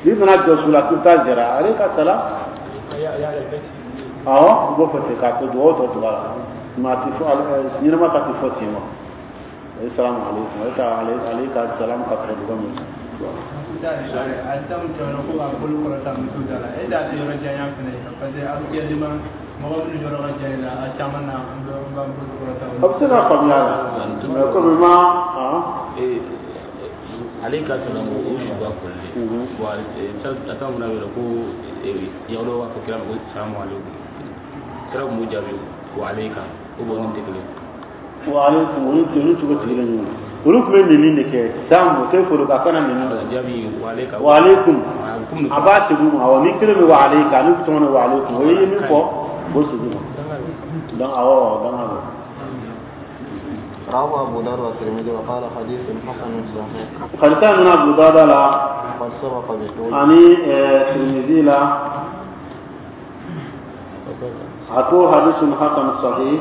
n'i nana jɔ su la k'i bɛ taa jɛra عليك السلام. Awɔ, i b'o fɔ ten k'a to dugawu tɔ tugu a la, mɛ a tɛ fɔ ɲɛnɛma ta tɛ fɔ ten ma. O ye سلام عليكم, o ye ka عليك السلام ka sɔrɔ dugawu min. A taw tɛmɛna ko ka bolo kɔrɔta muso da la, e da tɛ yɔrɔ janya fɛnɛ ye, parce que actuellement mɔgɔ minnu yɔrɔ ka jan i la, a caman na an bɛ an b'an bolo kɔrɔta. A bɛ se ka faamuya la, mɛ komi ma Ale ka salamu, o su ka foli de. Bon, a ta mun na ko yahudaw b'a fɔ kira ma ko سلام عليكم, kira tun b'o jaabi وعليك, o bɔ nin tɛ kelen. وعليكم, olu olu cogo sigilen ɲɔgɔn, olu tun bɛ nɛni de kɛ san o tɛ foli ka kana nɛni. Jaabi وعليك. وعليكم, a b'a segin ma. Awɔ, ni kelen bɛ وعليك, ni tɔgɔ ni وعليكم, o ye min fɔ, o segin ma. Donc awɔ, danga don. رواه أبو داود والترمذي وقال حديث حسن صحيح. Hadisa min Abu Dawud la قد سبق بطول. ani Tirmidhi la, a ko حديث حسن صحيح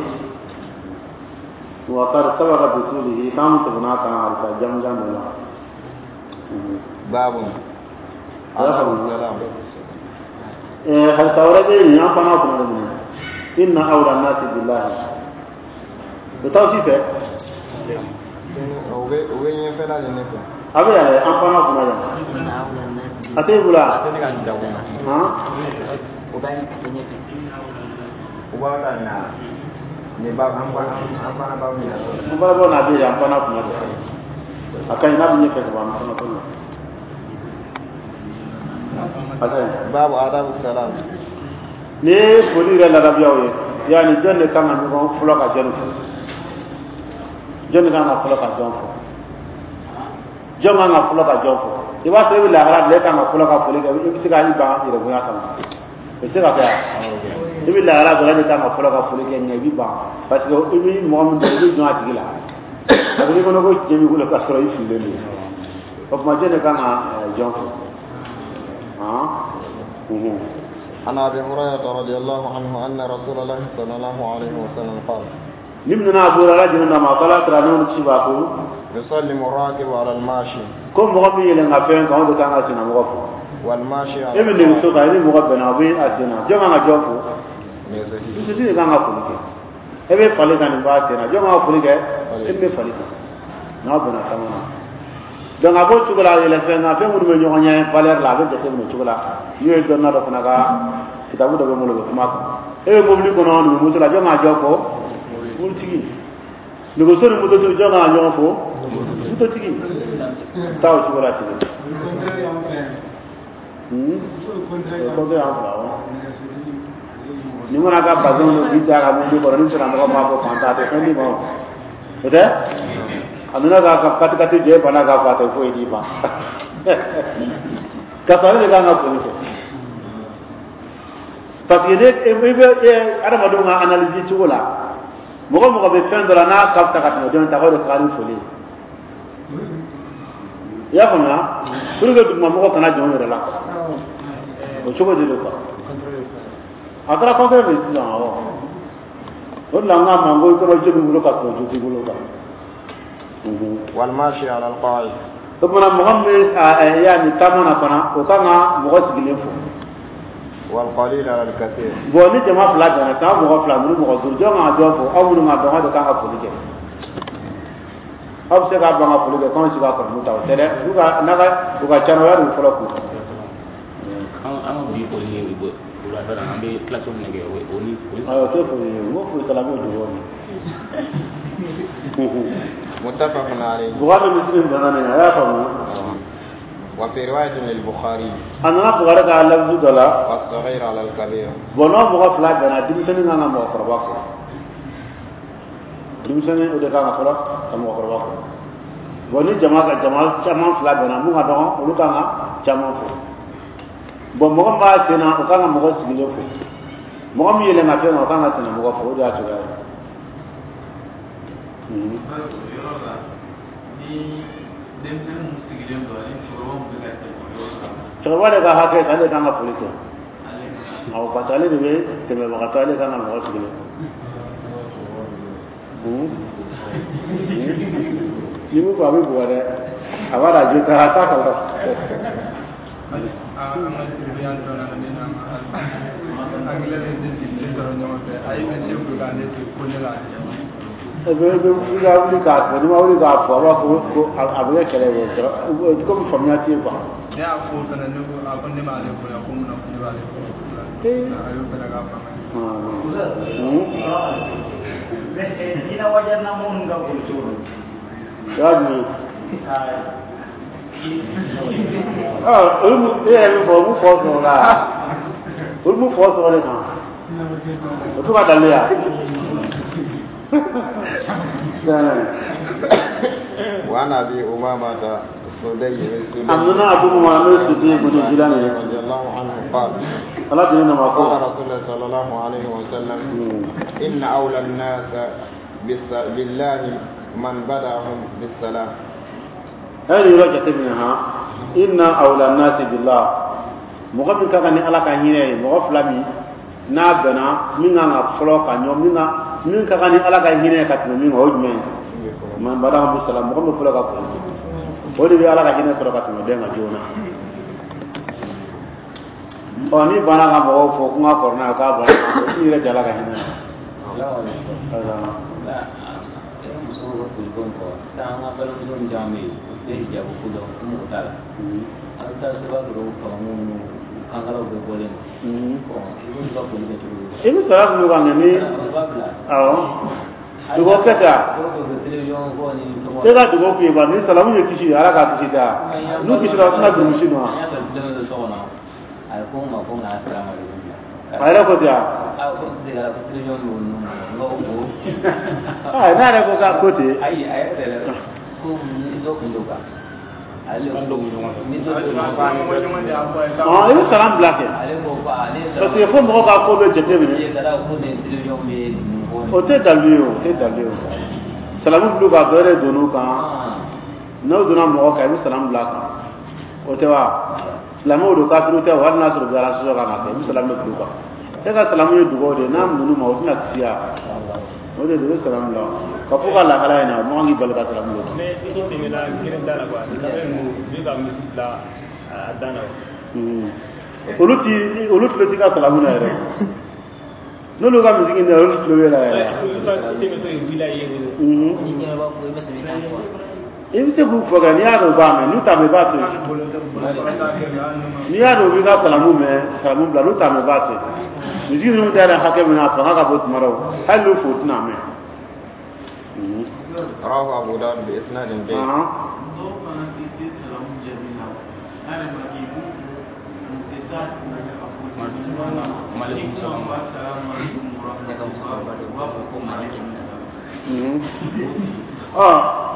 وقد سبق بطوله, k'an tɛmɛna kan hadisa jamujan dɔ la. باب آداب السلام. Hadisa wɛrɛ bɛ yen, an fana kunna de minɛ إن أولى الناس بالله, o t'aw si fɛ. O bɛ o bɛ ɲɛfɛla de ne fɛ. A bɛ yan dɛ, an fana kunna yan, a t'e bolo A a tɛ ne ka nin jago ma. Han. O b'a ɲɛfɛ. U b'a ka na nin ba an ba an fana b'a minɛ. An fana bɔ n'a bɛ yen, an fana kunna de, a ka ɲi n'a bɛ ɲɛfɛ ka ban, an fana t'o la, a ka ɲi. باب آداب السلام. Ni ye foli yɛrɛ ladabiyaw ye, yanni jɔn de kan ka ɲɔgɔn fɔlɔ ka jɔn fo? Jɔn de kan ka fɔlɔ ka jɔn fo? Jɔn kan ka fɔlɔ ka jɔn fo? I b'a sɔrɔ i bɛ lahara bila, e kan ka fɔlɔ ka foli kɛ, i bɛ se ka i ban yɛrɛbonya kama, o tɛ se ka kɛ wa? I bɛ lahara dɔrɔn, e de kan ka fɔlɔ ka foli kɛ, nka i bɛ ban, parce que i bɛ mɔgɔ min dɔn, i bɛ jɔn a tigi la, parce que n'i kɔnɔ ko tiɲɛ b'i bolo ka sɔrɔ i fililen don. O tuma jɔn de kan ka jɔn fo? Han. عن أبي هريرة رضي الله عنه أن رسول الله صلى الله عليه وسلم قال Ni minna Abu Hurairah jinin na ma kala tara n'o ci ba ko يسلم الراكب على الماشي. Ko mɔgɔ min yɛlɛn ka fɛn kan, o de kan ka sinamɔgɔ fo. والماشي E bɛ nɛgɛso kan, i ni mɔgɔ bɛnna, a bɛ a sen na, jɔn kan ka jɔn fo? Nɛgɛsotigi de kan ka foli kɛ. E bɛ fali kan, nin b'a sen na, jɔn kan ka foli kɛ? E bɛ fali kan n'aw bɛnna taama na. Donc a b'o cogo la, yɛlɛ fɛn kan, fɛn minnu bɛ ɲɔgɔn ɲɛ valeur la, a bɛ jateminɛ o cogo la. N'o ye dɔnniya dɔ fana ka kitabu dɔ bɛ n bolo, o bɛ kuma kan. E bɛ mobili kɔnɔ, nin bɛ moto la, jɔn kan ka jɔn fo? Mobilitigi. Nɛgɛso ni mototigi, jɔn kan ka ɲɔgɔn fo? Mototigi. Taa o cogo la ten. Hmm? O contraire y'an fila awɔ. Ni mana ka bazɛn don k'i da ka mobili kɔrɔ, ni sera mɔgɔ m'a fɔ fantan, a tɛ fɛn d'i ma o. O tɛ? A nana k'a ka katikati jɛ, e banna k'a fɔ a tɛ foyi d'i ma. Ka sɔrɔ ale de kan ka foli kɛ. Parce que ne i bɛ adamadenw ka analyse cogo la, mɔgɔ mɔgɔ bɛ fɛn dɔ la n'a ka fisa ka tɛmɛ dɔ in ta kan, o de ka kan ni foli ye. I y'a faamuya? Pour que dugumamɔgɔ kana jɔn yɛrɛ la. O cogo de don quoi. A kɛra contraire de sisan awɔ. O de la n k'a ma n ko i kɔrɔ jo b'i bolo ka sɔrɔ jo t'i bolo quoi. والماشي على القاعد. O tuma mɔgɔ min bɛ ya nin taama na fana, o kan ka mɔgɔ sigilen fo. والقليل على الكثير. Bon, ni jama fila bɛnna san, mɔgɔ fila ninnu, mɔgɔ duuru, jɔn kan ka jɔn fo? Aw minnu ka dɔn, aw de kan ka foli kɛ. Aw bɛ se k'a ban ka foli kɛ k'anw si ka kɔrɔmu ta, o tɛ dɛ. U ka n'a ka u ka ca na, o y'a fɔlɔ kun. An an ka bi foli ye wulafɛ la, an bɛ kilasi min kɛ, o ni foli. Ayiwa, o tɛ foli ye, n ko foli salamu dugawu de. متفق عليه. Bukhari Muslim bɛnna nin a y'a faamu. وفي رواية للبخاري. A nana Bukhari ka lafizu dɔ la. والصغير على الكبير. Bon, n'aw mɔgɔ fila bɛnna, denmisɛnnin kan ka mɔgɔkɔrɔba fo. Denmisɛnnin o de kan ka fɔlɔ ka mɔgɔkɔrɔba fo. Bon, ni jama ka jama caman fila bɛnna, mun ka dɔgɔ, olu kan ka caman fo. Bon, mɔgɔ min b'a sen na, o kan ka mɔgɔ sigilen fo. Mɔgɔ min yɛlɛn ka fɛn kan, o kan ka senna mɔgɔ fo. O de y'a cogoya ye. Yɔrɔ la, ni denmisɛnnin mun sigilen don ani cɛkɔrɔba mun bɛ ka tɛmɛ o yɔrɔ la? Cɛkɔrɔba de ka hakɛ, ale de kan ka foli kɛ. Ale ka Awɔ, parce que ale de bɛ tɛmɛbagatɔ, ale kan ka mɔgɔ sigilen fo. Ni mun fɔ, a bɛ bugɔ dɛ, a b'a dɔn a jo t'a a t'a kalama. An ka surveillant dɔ nana, ne n'an ka anglais ni ne sigilen sɔrɔ ɲɔgɔn fɛ, a ye monsieur fo k'a ne to ko ne la. E bɛ i bɛ i ka wuli k'a fɔ, n'i ma wuli k'a fɔ, a b'a fɔ ko a bɛ kɛ kɛlɛ ye, komi faamuya tɛ yen quoi. Ne y'a fo fana, ne ko a ko ne m'ale bonya, ko mun na ko ne b'ale bonya? A y'o fana k'a fanga ye. Ina wajen na mun ka foli cogo don? Y'a jumɛn? Ɔ, olu e yɛrɛ min fɔ, o b'u fɔ sɔrɔ la, olu b'u fɔ sɔrɔ de kan, o t'u ka dalilu ya. وعن أبي أمامة السدي A nana Abu Umama n'o ye Sudi ibn Jilani ye. رضي الله عنه قال: Ala tun ye nama ko. قال رسول الله صلى الله عليه وسلم: إن أولى الناس بالس- بالله من بدأهم بالسلام. A ye nin yɔrɔ jateminɛ han. Inna awla nasi billah, mɔgɔ min ka kan ni Ala ka hinɛ ye, mɔgɔ fila min n'a bɛnna, min kan ka fɔlɔ ka ɲɔ min ka min ka kan ni Ala ka hinɛ ye ka tɛmɛ min kan, o ye jumɛn ye? Man badahum bisalam, mɔgɔ min fɔlɔ ka foli kɛ, o de bɛ Ala ka hinɛ sɔrɔ ka tɛmɛ den kan joona. Ɔ, ni banna ka mɔgɔw fɔ ko n ka kɔrɔ n'a ye, k'a banna, o t'i yɛrɛ jɛ Ala ka hinɛ na. Musow ka foliko in fɔ sisan, an ka balimamuso min caman bɛ yen, u tɛ hijabu ko dɔn, u mago t'a la. An bɛ taa se, b'a sɔrɔ famamu ninnu kankalaw bɛɛ bɔlen don. Bon, i b'olu ka foli kɛ cogo di? I bɛ sara kun kan kɛ ni U b'a bila. Awɔ, dugawu kɛ ten. Dɔw bɛ bɛ télévision kɔ ni fɛngɛw. E ka dugawu k'u ye ba, ni salamu ye kisi ye, Ala k'a kisi da n'u kisira, u tɛna durusi nɔ. An y'a sɔrɔ denmisɛnnin dɔ so kɔnɔ, a ye ko n ma ko n ka salamu aleykum bila. A yɛrɛ ko ten wa? A ko n tɛ ko télévision b'o ninnu kɔnɔ, n ko o. Aa, n'a yɛrɛ ko k'a ko ten. Ayi, a yɛrɛ tɛ dɛ, ko ni dɔ kun don kan ale ko ni dɔ kun don kan. Ɔn, i bɛ salam bila kɛ. Ale ko ko ale ye. Parce que fo mɔgɔ ka ko bɛ jate minɛ. Ye ka da ko nin télévision bɛ ninnu kɔ. O tɛ dalilu ye, o tɛ dalilu ye. O salamu bila ka dɔ yɛrɛ donn'u kan, n'o donna mɔgɔ kan, i bɛ salamu bila a kan, o tɛ wa? Silamɛw don, kafiriw tɛ o, hali n'a sɔrɔ u bɛ ala sɔsɔ kan ka kɛ, i bɛ salamu de bila u kan. E ka salamu ye dugawu de ye, n'a minnu ma, o tɛna kisi ya. O de don, i bɛ salamu bila ka fɔ ka lahala in na, mɔgɔ k'i bali ka salamu bila. Mais i tɛmɛna kelen da la quoi, quand même u bɛ ka misi bila a dan na. Olu ti olu tulo ti ka salamu na yɛrɛ. N'olu ka misiki na olu tulo bɛ la yɛrɛ. I bɛ se k'u fɔ kɛ n'i y'a dɔn u b'a mɛn, n'u t'a mɛn i b'a to yen. N'i y'a dɔn u b'i ka salamu mɛn, salamu bila, n'u t'a mɛn i b'a to yen. Misiki ninnu ta yɛrɛ hakɛ min na a fanga ka bon tuma dɔw, hali n'u fo u tɛna mɛn. رواه أبو داود بإسناد جيد. Dɔw fana tɛ se salamu jaabi la, n'a yɛrɛ ma kɛ i b'u fo, u tɛ taa Maaleykum salaam. Salamu aleykum wa rahmatulah, u b'a fɔ ko maaleykum salaam. Ɔ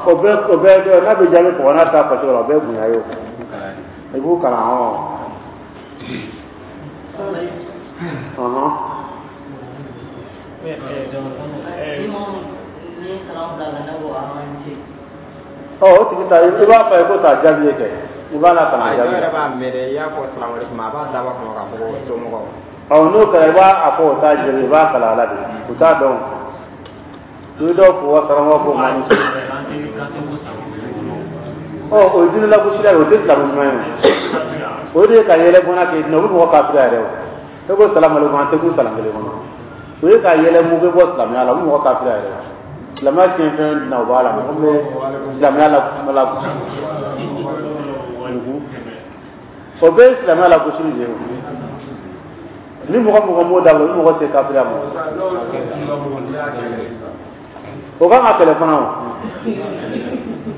o bɛɛ o bɛɛ n'a bɛ jaabi kɔgɔ n'a ta fɔ cogo la, o bɛɛ ye bonya ye o. I b'u kalan ɔ. Ɔhɔn. Ɔ o tigi ta i b'a fɔ a ye ko t'a jaabi ye kɛ, i b'a la kalan A jaabi. dɔw yɛrɛ b'a mɛn dɛ, i y'a fɔ salamu aleykum, a b'a dabɔ a kama k'a fɔ ko somɔgɔw. Ɔ n'o kɛra i b'a a fɔ o t'a jaabi, i b'a kalan a la de, o t'a dɔn. I bɛ dɔw fo wa karamɔgɔ ko maa ni ce. Ɔ o ye diinɛ lagosila ye, o tɛ silamɛ ɲuman ye o. O de ye ka yɛlɛ bɔnna k'e dinɛ, o bɛ mɔgɔ kafiriya yɛrɛ o. E ko salamu aleykum, an tɛ kun salam kelen kɔnɔ. O ye ka yɛlɛ mugu bɔ silamɛya la, o bɛ mɔgɔ kafiriya yɛrɛ o. Silamɛya tiɲɛ fɛn na o b'a la, mɔgɔ min bɛ silamɛya la lagosi. O bɛɛ ye silamɛya lagosili de ye o. Ni mɔgɔ mɔgɔ m'o dabila, o ni mɔgɔ tɛ kafiriya ma. O kan ka kɛlɛ fana o.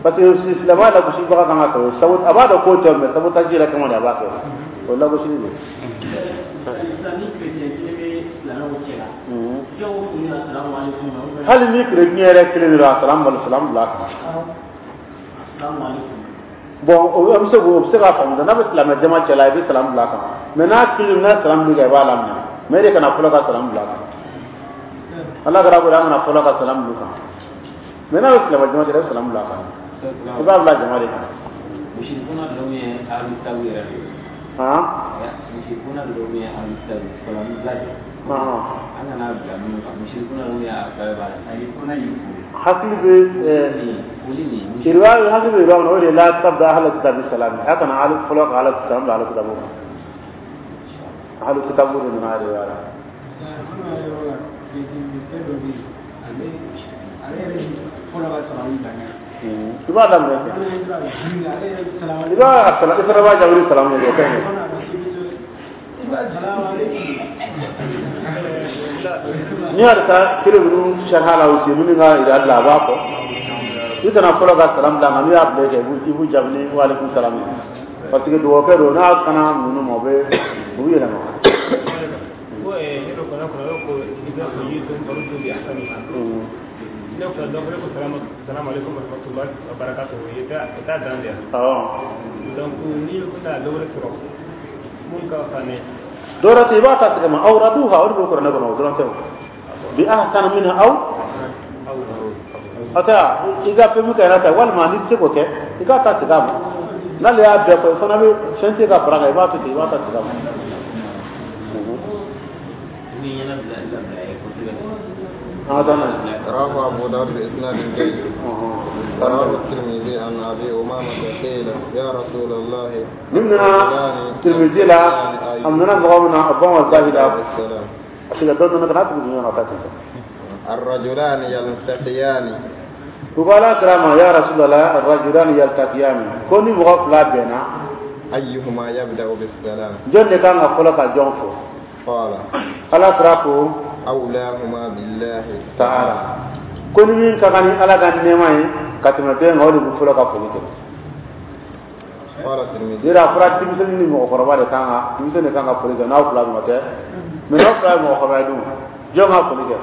Parce que silamɛya lagosibaga kan ka kɛlɛ o. Sabu a b'a dɔn k'o tɛ, mais sabotage yɛrɛ kama de a b'a kɛ. O ye lagosili de ye. Hali ni kerecɛn yɛrɛ kelen de don, a salam salam bila a kan. Bon o bɛ se k'o bɛ se k'a faamu, n'a bɛ silamɛ jama cɛ la, i bɛ salam bila a kan. Mais n'a kelen n'a salam bila i b'a laminɛ. Mais e de kana fɔlɔ ka salam bila a kan. Ala kɛra ko an kana fɔlɔ ka salam bila kan. Mais n'a bɛ silamɛ jama cɛ la, i bɛ salam bila a kan. I b'a bila jama de kan. Musirikuna dɔw ye alu yɛrɛ de ye. Han? Musirikuna dɔw ye alu salam bila de. An kana bila minnu kan, musirikuna dɔw ye alu b'a la. Hakili bɛ riwaya, hakili bɛ riwaya kɔnɔ, o de la tabda ahla kitabi salam. A kana alu fɔlɔ ka ala salam bila ahla kitabu kan. Ahlu kitabu de nana riwaya la. I b'a daminɛ fɛ. I b'a salam, i fana b'a jaabi ni salamu ye, o ka ɲi. N'i y'a ta kelen ninnu sariya la, o minnu ka yira la, a b'a fɔ. I kana fɔlɔ ka salam bila, nka n'u y'a bila kɛ, i b'u jaabi ni wa aleykum salam ye. Parce que dugawukɛ don, n'a kana ninnu ma, u bɛ u bɛ yɛlɛma. Dɔwɛrɛ tɛ, i b'a ta tigɛ ma aw raduha, o de bɛ kuranɛ kɔnɔ, o dɔrɔn tɛ o. Bi ahsana minha aw a tɛ i ka fɛn min kɛ yɛrɛ ta, walima n'i tɛ se k'o kɛ, i k'a ta tigɛ a ma. N'ale y'a bɛɛ fɔ, i fana bɛ fɛn tɛ ka fara kan, i b'a to ten, i b'a ta tigɛ a ma. رواه أبو داود بإسناد جيد. رواه الترمذي عن أبي أمامة قيل يا رسول الله. ممنا الترمذي لا أمنا مغامنا أبوه الزاهد. الرجلان يلتقيان. وقال كرام يا رسول الله الرجلان يلتقيان كوني مغفلا بينا أيهما يبدأ بالسلام؟ جون كان أقولك جون فو. قال على كراكو أولاهما بالله تعالى. كوني من كان على كان نعمة كاتم بين هول بفلك فلك. قال الترمذي. يرى فرات تمسني مغفرة كان تمسني كان فلك ناو فلان ما تẹ́ mais n'aw fila ye mɔgɔkɔrɔba ye dun, jɔn ka foli kɛ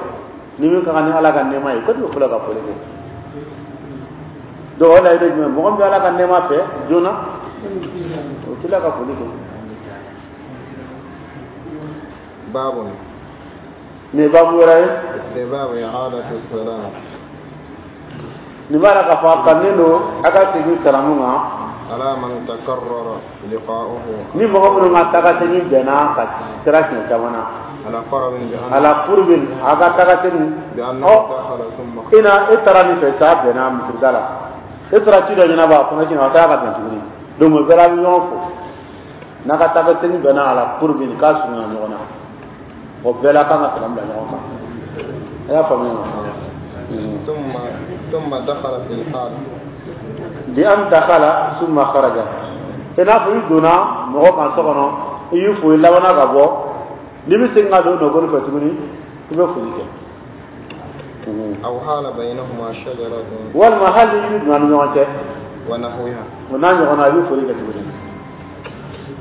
ni min ka kan ni Ala ka nɛɛma ye, ko de bɛ fɔlɔ ka foli kɛ. Donc o layidu ye jumɛn ye? Mɔgɔ min bɛ Ala ka nɛɛma fɛ joona, o t'i la ka foli kɛ. Baabu. Nin ye baabu wɛrɛ ye. Istihbaabu i'aadati salaam. Nin b'a la k'a fɔ a kanunen don a ka segin salamu kan. Ala man takarrara liqa'uhu. Ni mɔgɔ minnu ka taga segin bɛnna ka sira siɲɛ caman na. Ala qarabin bi anna. Ala qurbin a ka taga segin. Bi anna dakhala thumma. I na e taara nin fɛ sa bɛnna misirida la. E taara ci dɔ ɲɛnabɔ a kɔnɔ siɲɛ a taara ka bɛn tuguni. Donc o bɛɛ la a bɛ ɲɔgɔn fo. N'a ka taa ka segin bɛnna a la pour que k'a surunya ɲɔgɔn na, o bɛɛ la kan ka salamu bila ɲɔgɔn kan. A y'a faamuya wa? ثم ثم دخل في الحال. Bi an dakhala summa kharaja, i n'a fɔ i donna mɔgɔ kan so kɔnɔ, i y'i fo, i labanna ka bɔ, n'i bɛ segin ka don nɔgɔli fɛ tuguni, i bɛ foli kɛ. أو حال بينهما شجرة. Walima hali ni yiri donna ni ɲɔgɔn cɛ. ونحوها. O n'a ɲɔgɔnna, i bɛ foli kɛ tuguni.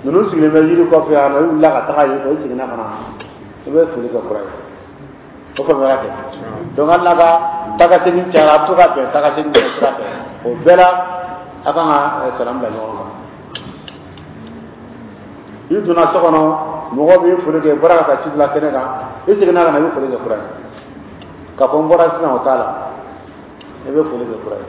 Ninnu sigilen bɛ yiri kɔfɛ yan nɔ, i wulila ka taga yen fɛ, i seginna ka na, i bɛ foli kɛ kura ye. O faamuyara kɛ? Donc hali n'a ka taga segin cayara, a bɛ to ka bɛn taga segin kɛ sira fɛ, o bɛɛ la a kan ka salam bila ɲɔgɔn kan. I donna so kɔnɔ, mɔgɔ b'i foli kɛ, i bɔra ka taa ci bila kɛnɛ kan, i seginna ka na, i bɛ foli kɛ kura ye. K'a fɔ n bɔra sisan, o t'a la, i bɛ foli kɛ kura ye.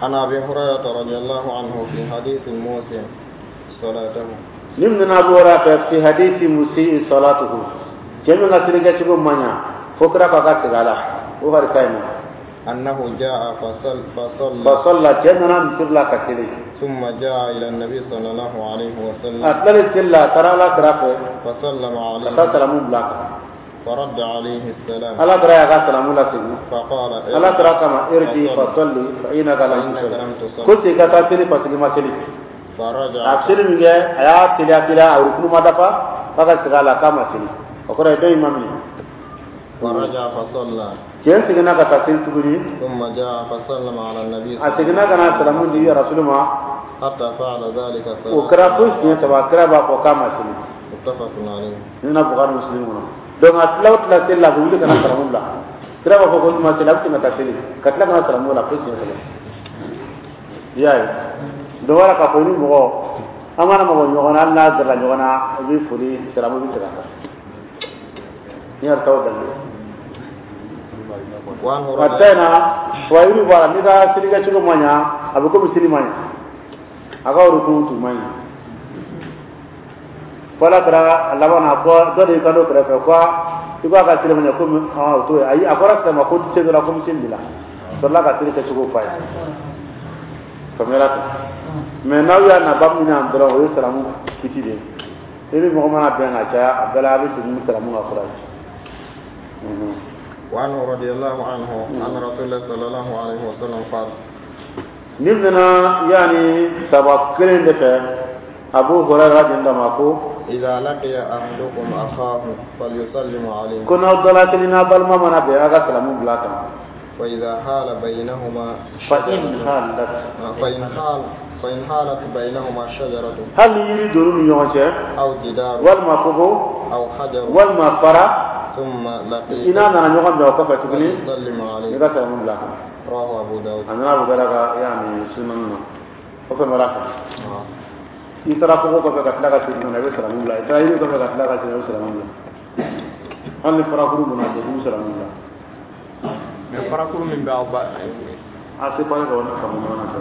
عن أبي هريرة رضي الله عنه في حديث المسيء صلاته. Nin nana Abu Hurairah fi hadisi musii salatuhu, cɛ min ka seli kɛcogo man ɲa fo kira k'a ka segin a la, o hadisa in na. أنه جاء فصل فصلى. Fasalla, cɛ nana misiri la ka seli. ثم جاء إلى النبي صلى الله عليه وسلم. A tilalen seli la, a taara Ala kira fɛ. فسلم Ka عليه. taa salamu bila a kan. فرد عليه السلام. Ala kira y'a ka salamu lasegin. فقال Ala kira kama irji fasalli fa innaka lam tusalli, ko segin ka taa seli parce que i ma seli. فرجع. A seli min kɛ, a y'a teliya teliya, a rukunu ma dafa, k'a ka segin a la, k'a ma seli, o kɔrɔ ye dɔ in ma minɛ. فرجع فصلى. Cɛ seginna ka taa seli tuguni. ثم جاء فسلم على النبي. A seginna ka na salamu di rasulu ma. حتى فعل ذلك. O kɛra fo siɲɛ saba, kira b'a fɔ k'a ma seli. متفق عليه. Ni na Bukhari Muslim kɔnɔ. Donc a tila o tila seli la, a bɛ wuli ka na salamu bila, kira b'a fɔ ko ma seli, a bɛ segin ka taa seli, ka tila ka na salamu la fo siɲɛ saba. I y'a ye, donc wala k'a fɔ ni mɔgɔ an mana mabɔ ɲɔgɔn na, hali n'a gɛrɛla ɲɔgɔn na, i bɛ foli salamu bɛ segin a kan ni yɛrɛ t'aw dalili. وعنه. A ta in na wa yiri bɔ a la, n'i ka seli kɛcogo ma ɲa, a bɛ komi seli ma ɲa, a ka rukun tun ma ɲi. Fo ala kɛra a laban na, ko dɔ de y'i kanto kɛrɛfɛ ko i ko a ka seli ma ɲa komi ɔn o t'o ye. Ayi, a fɔra sisan ma ko se dɔ la komi seli de la sɔrɔla ka seli kɛcogo f'a ye. Faamuyala ten? Mais n'aw y'a na babu min na dɔrɔn, o ye salamu kiti de ye. I ni mɔgɔ mana bɛn ka caya, a bɛɛ la a bɛ segin ni salamu ka fura ye. وعنه رضي الله عنه أن رسول الله صلى الله عليه وسلم قال: Ni nana yaani saba kelen de fɛ, Abu Hurairah den ma ko: إذا لقي أحدكم أخاه فليسلم عليه. Ko n'aw dɔ la kelen n'a balima mana bɛn, a ka salamu bila a kan. وإذا حال بينهما fa in شجرة halat فإن حال فإن حالت بينهما شجرة hali ni yiri donn'u ni ɲɔgɔn cɛ أو جدار walima kogo أو حجر walima fara ثم لقي i n'a nana ɲɔgɔn bɛn o kɔfɛ tuguni فليسلم i عليه. ka salamu bila a kan. رواه أبو داود. A nana Abu Dawuda ka yaani sunan na, o fɛn bɔra fɛ. آه. I taara kogo kɔfɛ ka tila ka segin ka na, i bɛ salamu bila. I taara yiri kɔfɛ ka tila ka segin, i bɛ salamu bila. Hali ni farakuru donna cɛ, i bɛ salamu bila. Mais farakuru min bɛ aw ba A se pas ka wani faamu ɲɔgɔn na fɛ.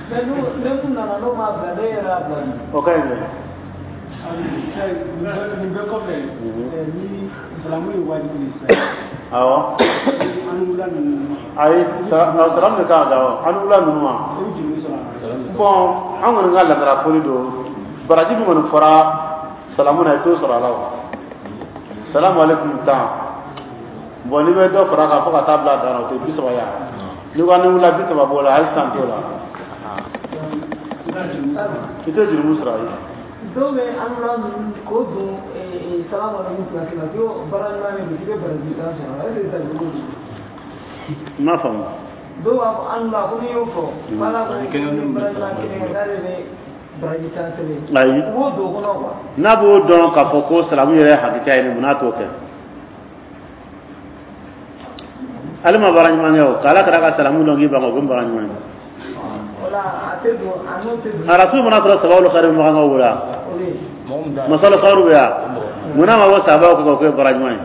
Mais n'u ne mun nana n'o ma bila, ne yɛrɛ y'a bila. O ka ɲi dɛ. Nin bɛɛ kɔfɛ, ni salamu ye wajibi ye sisan, Awɔ. an wula ninnu? Ayi, salamu de kan ka da o an wula ninnu ma. I bɛ juru sɔrɔ a la. Bon, an kɔni ka ladala foli don, baraji min kɔni fɔra salamu na, i t'o sɔrɔ a la. O salamu aleykum tan, bon, n'i bɛ dɔ fara a kan fo ka taa bila a dan na, o tɛ bi saba ya. N'i ko ni wula bi saba b'o la, hali san t'o la, i tɛ jurumu sɔrɔ. Ayi. Dɔw bɛ an wula ninnu k'o don salamu aleykum place la, ko baara ɲuman de don, k'i bɛ baraji tan sɔrɔ a la, est ce que ça jogo don? N m'a faamu. Dɔw b'a fɔ an wula ko n'i y'o fɔ ko ala ko ni baara ɲuman kelen kɛ, k'ale bɛ baraji tan sɛbɛn. Ayi. U b'o don o kɔnɔ quoi. N'a b'o dɔn k'a fɔ ko salamu yɛrɛ ye hakika ye nin, mun n'a t'o kɛ? Ale ma baara ɲuman kɛ o k'ala kɛra ka salamu dɔn k'i ban o ko baara ɲuman ye. O la a tɛ don, a n'o tɛ don. A rasul mana sɔrɔ sababu kari makan ka wula O de ye. Masala kharu bɛ yan, mun n'a ma bɔ sababu kɛ k'o kɛ baara ɲuman ye?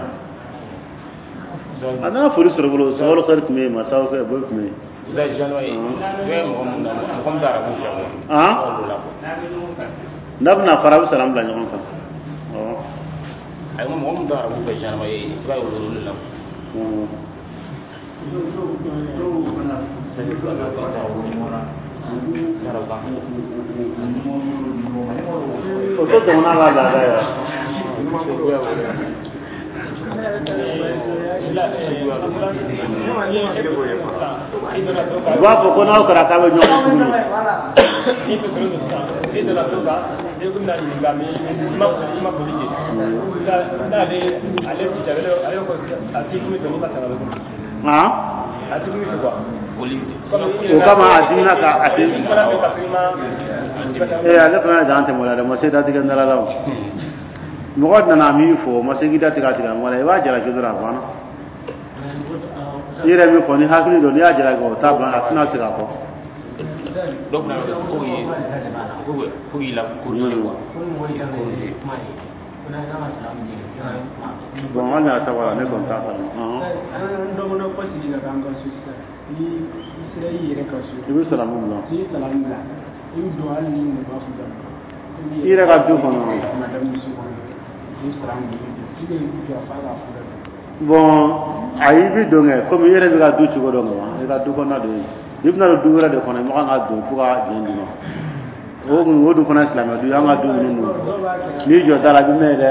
A nana foli sɔrɔ bolo, sababu kari tun bɛ yen, masaw kɛ bɛɛ tun bɛ yen. Han, n'a bɛna fara, a bɛ salamu bila ɲɔgɔn kan. Awɔ. Ayi, mɔgɔ min tɛ arabu fɛ généralement, i b'a ye olu de la. Mm. Dɔw dɔw fana O tɛ jamana la laada ye wa? U b'a fɔ ko n'aw kɛra k'a bɛ ɲɔgɔn tuguni. I donna so kan, i ko bɛna ɲininka mais i ma i ma foli kɛ. N'ale ale ci ale ale ko a t'i kun fɛ n'i ma sara Han? A t'i kun fɛ quoi. O kama a dimina ka a tɛ. Ee, ale fana ye dan tɛmɛ o la dɛ, ma se datigɛ n da la o. Mɔgɔ nana min fɔ, o ma se k'i datigɛ a tigilamɔgɔ la, i b'a jalaki dɔrɔn, a banna. I yɛrɛ min fɔ ni hakili don, n'i y'a jalaki, o t'a ban, a tɛna segin a kɔ. Dɔw fana bɛ ko ye ko k'i la corriger quoi. Bon, hali n'a ta b'a la, ne kɔni t'a kalama. An dɔgɔnɔ kɔsigi ka k'an ka so sisan, ni i sera i yɛrɛ ka so, i bɛ salamu bila. N'i ye salamu bila, i bɛ don hali ni mɔgɔ b'a fɔ I yɛrɛ ka du kɔnɔ. Madamu so kɔnɔ, i bɛ salamu bila, i bɛ jɔ f'a ka fɔ. Bon, ayi, i bɛ don kɛ komi i yɛrɛ bɛ ka du cogo dɔn ka ban, i ka du kɔnɔna don yen. I bɛna don du wɛrɛ de kɔnɔ, i ma kan ka don fo ka diɲɛ d'i ma. O kun o dun fana ye silamɛ du ye, an ka du ninnu dun. N'i jɔ da la, i bɛ mɛn dɛ.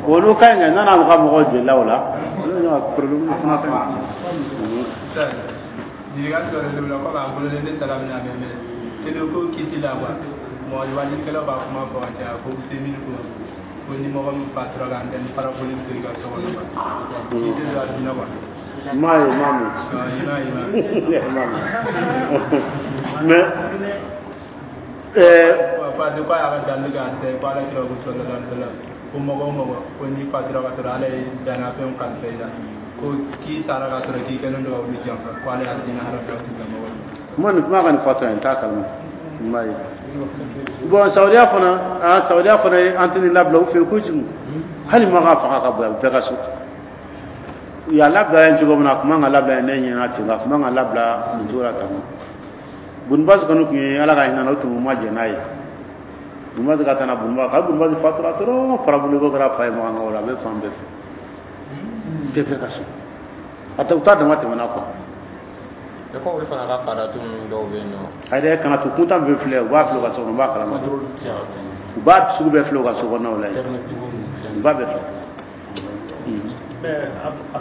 Olu ka ɲi kɛ, n'a ka mɔgɔw jolila o la, olu ka problème fana ka ɲi. Ɲininkali dɔ de bɛ la komi a bolo ne taara min na mɛ mɛ tele ko kiti la quoi, mɔgɔ wajilikɛlaw b'a kuma fɔ ka caya ko semini ko ko ni mɔgɔ min fatura ka antenne parabolique to i ka so kɔnɔ quoi, k'i tɛ don alijinɛ quoi. N m'a ye, n m'a mɛn. I m'a ye, i m'a N m'a mɛn. Mais ɛɛ parce que k'a y'a ka dalilu kɛ a tɛ ko ala kira ko sallallahu alaihi wasallam ko mɔgɔ o mɔgɔ ko n'i fatura ka sɔrɔ ala ye dannafɛnw kalifa i la, ko k'i sara ka sɔrɔ k'i kɛlen don ka olu janfa, ko ala y'a diinɛ haramuya o tigilamɔgɔ ma. N ma nin kuma ka nin fatɔ ye, n t'a kalama, n m'a ye. Bon, Saudiya fana, ah, Saudiya fana ye antenne labila u fɛ yen kojugu. Hali ma ka fanga ka bon bɛɛ ka so. U y'a labila yen cogo min na, a tun man ka labila yen, ne ɲɛna ten, a tun man ka labila nin cogo la tan. Bunubasi kɔni tun ye ala ka hinɛ na, o tun ma jɛn n'a ye. Bunubasi ka taa na Bunubasi, ka Bunubasi fatura dɔrɔn, parabole ko kɛra fa ye makan o la, a bɛ fan bɛɛ fɛ. Bɛɛ bɛɛ ka so. A tɛ u t'a dama tɛmɛna quoi. E ko olu fana ka faratu ninnu dɔw bɛ yen nɔ. Ayi dɛ, kana to kuntan bɛ filɛ, u b'a filɛ u ka so kɔnɔ, u b'a kalama. U b'a sugu bɛɛ filɛ u ka so kɔnɔnaw la yen. U b'a bɛɛ filɛ. A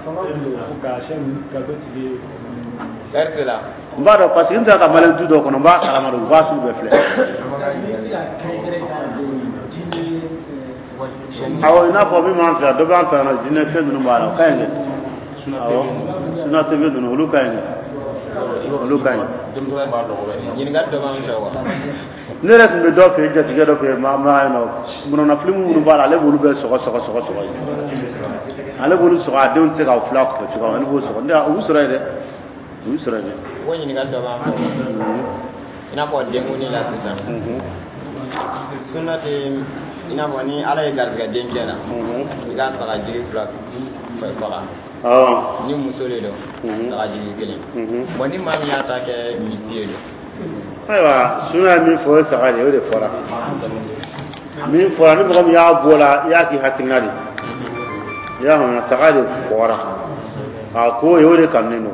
fanga kun ka sɛn ka dɔ tigi. Ɛri la. N b'a dɔn parce que n tɛ ka maliyɛn du dɔw kɔnɔ, n b'a kalama de, u b'a sugu bɛɛ filɛ. Awɔ, i n'a fɔ min b'an fɛ yan, dɔ b'an fɛ yan nɔ, jinɛ fɛn ninnu b'a la, o ka ɲi dɛ. Awɔ, suna T V ninnu, olu ka ɲi dɛ. Olu ka ɲi. Ɲininkali dɔ b'an fɛ wa? Ne yɛrɛ tun bɛ dɔ fɛ yen, jatigɛ dɔ fɛ yen, maa maa yen nɔ, munna filimu minnu b'a la, ale b'olu bɛɛ sɔgɔ sɔgɔ sɔgɔ sɔgɔ yen. Ale b'olu sɔgɔ, a denw tɛ se ka filɛ a kunfɛ cogoya min na, ale b'o sɔgɔ. Ne u b'u sɔrɔ yen dɛ, u b'u sɔrɔ yen dɛ. Ko ɲininkali dɔ b'an fɛ wa? I n'a fɔ denkundi la sisan. Sunna tɛ i n'a fɔ ni ala ye garisɛgɛ denkɛ la, i ka sagajigi fila faga. Awɔ. Ni muso de don, sagajigi kelen. Bon, ni maa min y'a ta kɛ misi ye don? Ayiwa, sunna ye min fɔ, o ye saga de ye, o de fɔra. Min fɔra, ni mɔgɔ min y'a bɔ la, i y'a k'i hakilina de ye. I y'a faamuya, saga de fɔra. A ko ye o de kanunen don.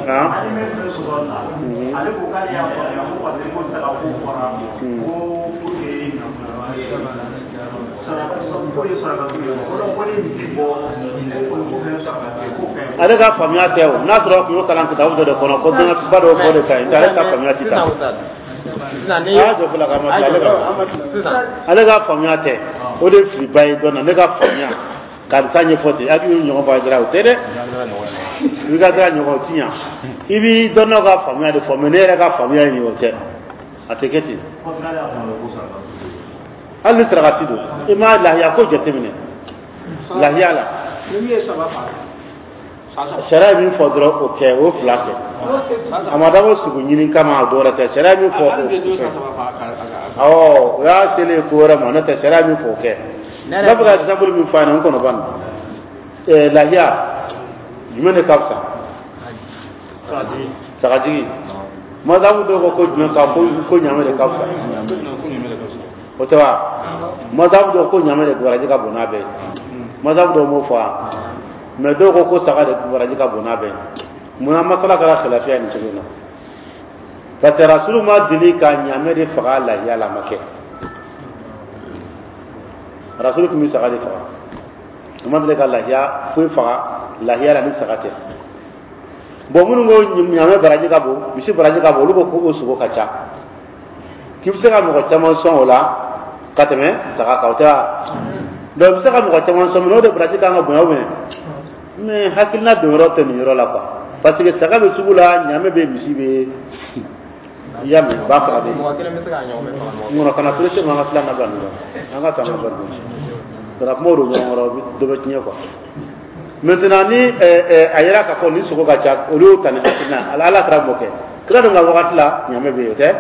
Han? Ale ko k'ale y'a faamuya ko parce que ko saga ko fɔra ko pour que saraka ko ye saraka ye, ko donc ko ni misi bɔ ko ko fɛn saraka tɛ ko fɛn. Ale ka faamuya tɛ o, n'a sɔrɔ a tun y'o kalan kitabu dɔ de kɔnɔ ko dɔnniba dɔw fɔ de ka ɲi, ale ka faamuya tɛ taa. Sisan ni A y'a jɔ fɔlɔ ka ma tila ale ka ale ka faamuya tɛ, o de ye filiba ye dɔn na. Ne ka faamuya karisa ɲɛfɔ ten, hakili ɲɔgɔn fa jira, o tɛ dɛ. I ka dira ɲɔgɔn, o ti ɲa. I b'i dɔnnaw ka faamuya de fɔ, mais ne yɛrɛ ka faamuya ye nin ye, o tɛ, a tɛ kɛ ten. Hali ni sarakati don, i ma lahiya ko jateminɛ lahiya la. Sariya ye min fɔ dɔrɔn, o kɛ, o fila kɛ. A ma dabɔ sogo ɲini kama, a dɔ wɛrɛ tɛ. Sariya ye min fɔ, o kɛ. Awɔ, o y'a selen ko wɛrɛ ma, n'o tɛ sariya ye min fɔ, o kɛ. N b'a fɛ ka exemple min fɔ a ɲɛna, n kɔnɔ ban ɛɛ lahiya jumɛn de ka fisa? Sagajigi. Mazabu dɔw ko ko jumɛn ka ko ko ɲamɛ de ka fisa, o tɛ wa? Mazabu dɔw ko ɲamɛ de baraji ka bon n'a bɛɛ ye. Mazhabu dɔw m'o fɔ wa? Mais dɔw ko ko saga de baraji ka bon n'a bɛɛ ye. Munna masala kɛra khilafiya nin cogo in na? Parce que Rasulu ma deli ka ɲaamɛ de faga lahiya la, a ma kɛ. Rasulu tun bɛ saga de faga, a ma deli ka lahiya foyi faga lahiya la ni saga tɛ. Bon, minnu ko ɲaamɛ baraji ka bon, misi baraji ka bon, olu ko ko o sogo ka ca, k'i bɛ se ka mɔgɔ caman sɔn o la ka tɛmɛ saga kan, o tɛ wa? Donc i bɛ se ka mɔgɔ caman sɔn, mais o de baraji kan ka bonya ou bien? Mais hakilina don yɔrɔ tɛ nin yɔrɔ la quoi, parce que saga bɛ sugu la, ɲaamɛ bɛ, misi bɛ, i y'a mɛn, ba faga bɛ yen. Mɔgɔ kelen bɛ se k'a ɲɔgɔn faga mɔgɔ. Ŋɔnɔ kana pressé ma, an ka filan labila nin kɔnɔ, an ka to an ka bari kana kumaw don ɲɔgɔn kɔrɔ, dɔ bɛ tiɲɛ quoi. Maintenant, ni a yera k'a fɔ ni sogo ka ca, olu y'o ta ni hakilina. Ala ala kɛra m'o kɛ kira dun ka wagati la, ɲaamɛ bɛ yen, o tɛ?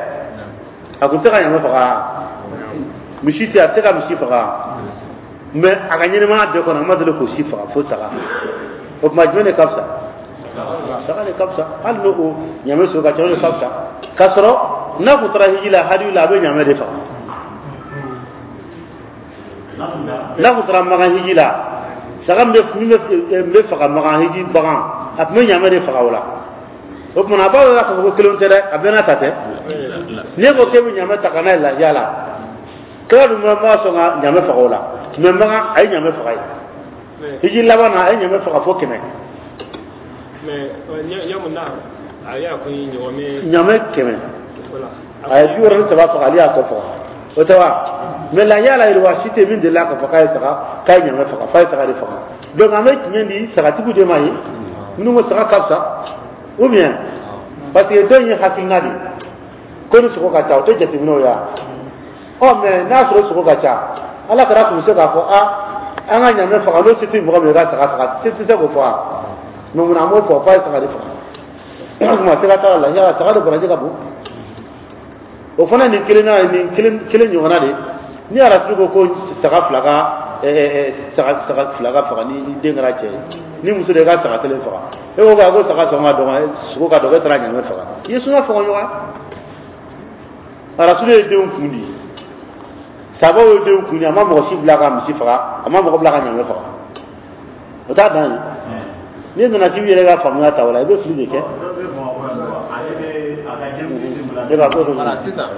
A kun tɛ ka ɲaamɛ faga, misi tɛ, a tɛ se ka misi faga, mais a ka ɲɛnɛmaya bɛɛ kɔnɔ, a ma deli k'o si faga fo saga. O tuma, jumɛn de ka fisa? Saga de ka fisa. Hali n'o o ɲaamɛ sogo ka ca, o de ka fisa. K'a sɔrɔ n'a kun taara hiji la, hadiyu la, a bɛ ɲaamɛ de faga. N'a kun taara Makan hiji la, saga min bɛ min bɛ bɛ faga Makan hiji bagan, a tun bɛ ɲaamɛ de faga o la. O tuma, a b'a dɔn k'a fɔ ko kelen tɛ dɛ, a bɛɛ n'a ta tɛ. N'e ko k'e bɛ ɲaamɛ ta ka n'a ye lahiya la, kira dun ma sɔn ka ɲaamɛ faga o la, mais Makan a ye ɲaamɛ faga yen. Hiji laban na, a ye ɲaamɛ faga fo kɛmɛ. Mais yamu na a y'a ko ɲɔgɔmɛ. Ɲaamɛ kɛmɛ, a ye bi wɔɔrɔ ni saba faga, ale y'a tɔ faga, o tɛ wa? Mais lahiya la, yiriwa si tɛ min delila k'a fɔ k'a ye saga, k'a ye ɲaamɛ faga, f'a ye saga de faga. Donc an bɛ tiɲɛ di sagatigiw de ma ye minnu ko saga ka fisa ou bien, parce que dɔ in ye hakilina de ye ko ni sogo ka ca, o tɛ jateminɛ o ya. Ɔ, mais n'a sɔrɔ sogo ka ca, ala kɛra tun bɛ se k'a fɔ a an ka ɲaamɛ faga, n'o se tɛ mɔgɔ min ye, ka saga faga, se tɛ se k'o fɔ wa? Mais munna an b'o fɔ f'a ye saga de faga? O tuma, sɛgɛ t'a la, yala saga de baraji ka bon. O fana nin kelen na, nin kelen kelen ɲɔgɔnna de. Ni Arasulu ko ko saga fila ka saga saga fila ka faga ni den kɛra cɛ ye, ni muso de ka saga kelen faga, e ko ko saga sɔn ka dɔgɔ, sogo ka dɔgɔ, e taara ɲaamɛ faga, i ye suna faga ɲɔgɔn. Arasulu ye denw kun di, sabaw ye denw kun di, a ma mɔgɔ si bila ka misi faga, a ma mɔgɔ bila ka ɲaamɛ faga. O t'a dan ye. N'i nana k'i b'i yɛrɛ ka faamuya ta o la, i bɛ fili de kɛ. E b'a ko Voilà, sisan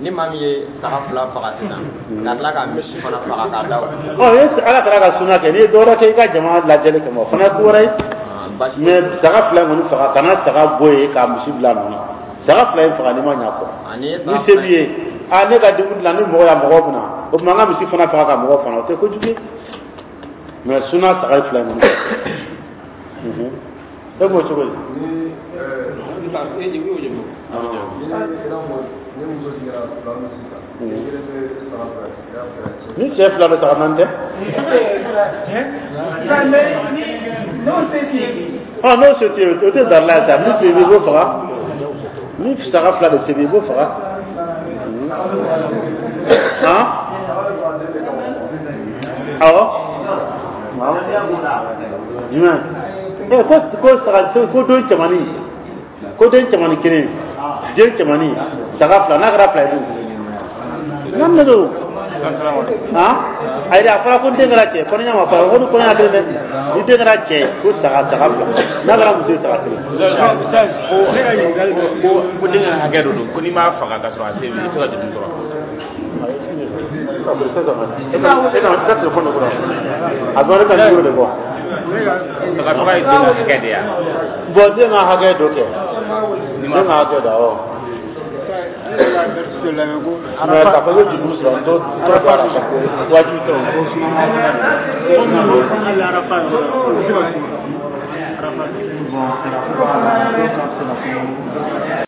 ni maa min ye saga fila faga sisan, ka tila ka misi fana faga k'a da o. Ɔ, ye ala kɛra ka suna kɛ, n'i ye dɔwɛrɛ kɛ i ka jama lajɛli kama, o fana ye ko wɛrɛ ye. Mais saga fila in kɔni faga, kana saga bɔ yen ka misi bila a nɔ na. Saga fila in faga, n'i ma ɲɛ kɔ, ni se b'i ye, a ne ka denkundi la, ni mɔgɔ ya mɔgɔ bɛ na, o tuma an ka misi fana faga ka mɔgɔ fana, o tɛ kojugu ye. Mais suna, saga fila in kɔni. E b'o cogo di? Ni ni muso sigira fila min sisan, ni kelen bɛ saga fɛ, ni cɛ fila bɛ saga naani tɛ. N'o se t'i ye. Ɔ, n'o se t'i ye, o tɛ darila ye sa. Ni se b'i ye, i b'o faga. Ni saga fila de se b'i ye, i b'o faga. Han, awɔ, jumɛn? Ɛ, ko ko saga, ko den cɛmannin, ko den cɛmannin kelen, den cɛmannin saga fila, n'a kɛra fila ye dun, naani de don. Han, ayi, a fɔra ko den kɛra cɛ, kɔnɔɲa ma fɔ ko ni kɔnɔɲa kelen dɛ. Ni den kɛra cɛ ye, ko saga saga fila, n'a kɛra muso ye, saga kelen. Ko ko den ka hakɛ dɔ don, ko n'i m'a faga ka sɔrɔ a se b'i ye, i tɛ se ka juru sɔrɔ. E ka e ka i ka telefɔni de kɔrɔ, a bɛ ne ka numéro de bɔ. Saga faga ye den ka hakɛ de ye wa? Bon, den ka hakɛ dɔ kɛ, den ka hakɛ dɔ, awɔ. Mais k'a fɔ ko juru sɔrɔ, n t'o t'o bɔ a la, wajibi tɛ o. Hali arafa yɔrɔ la, o bɛ se ka sun arafa. Bon,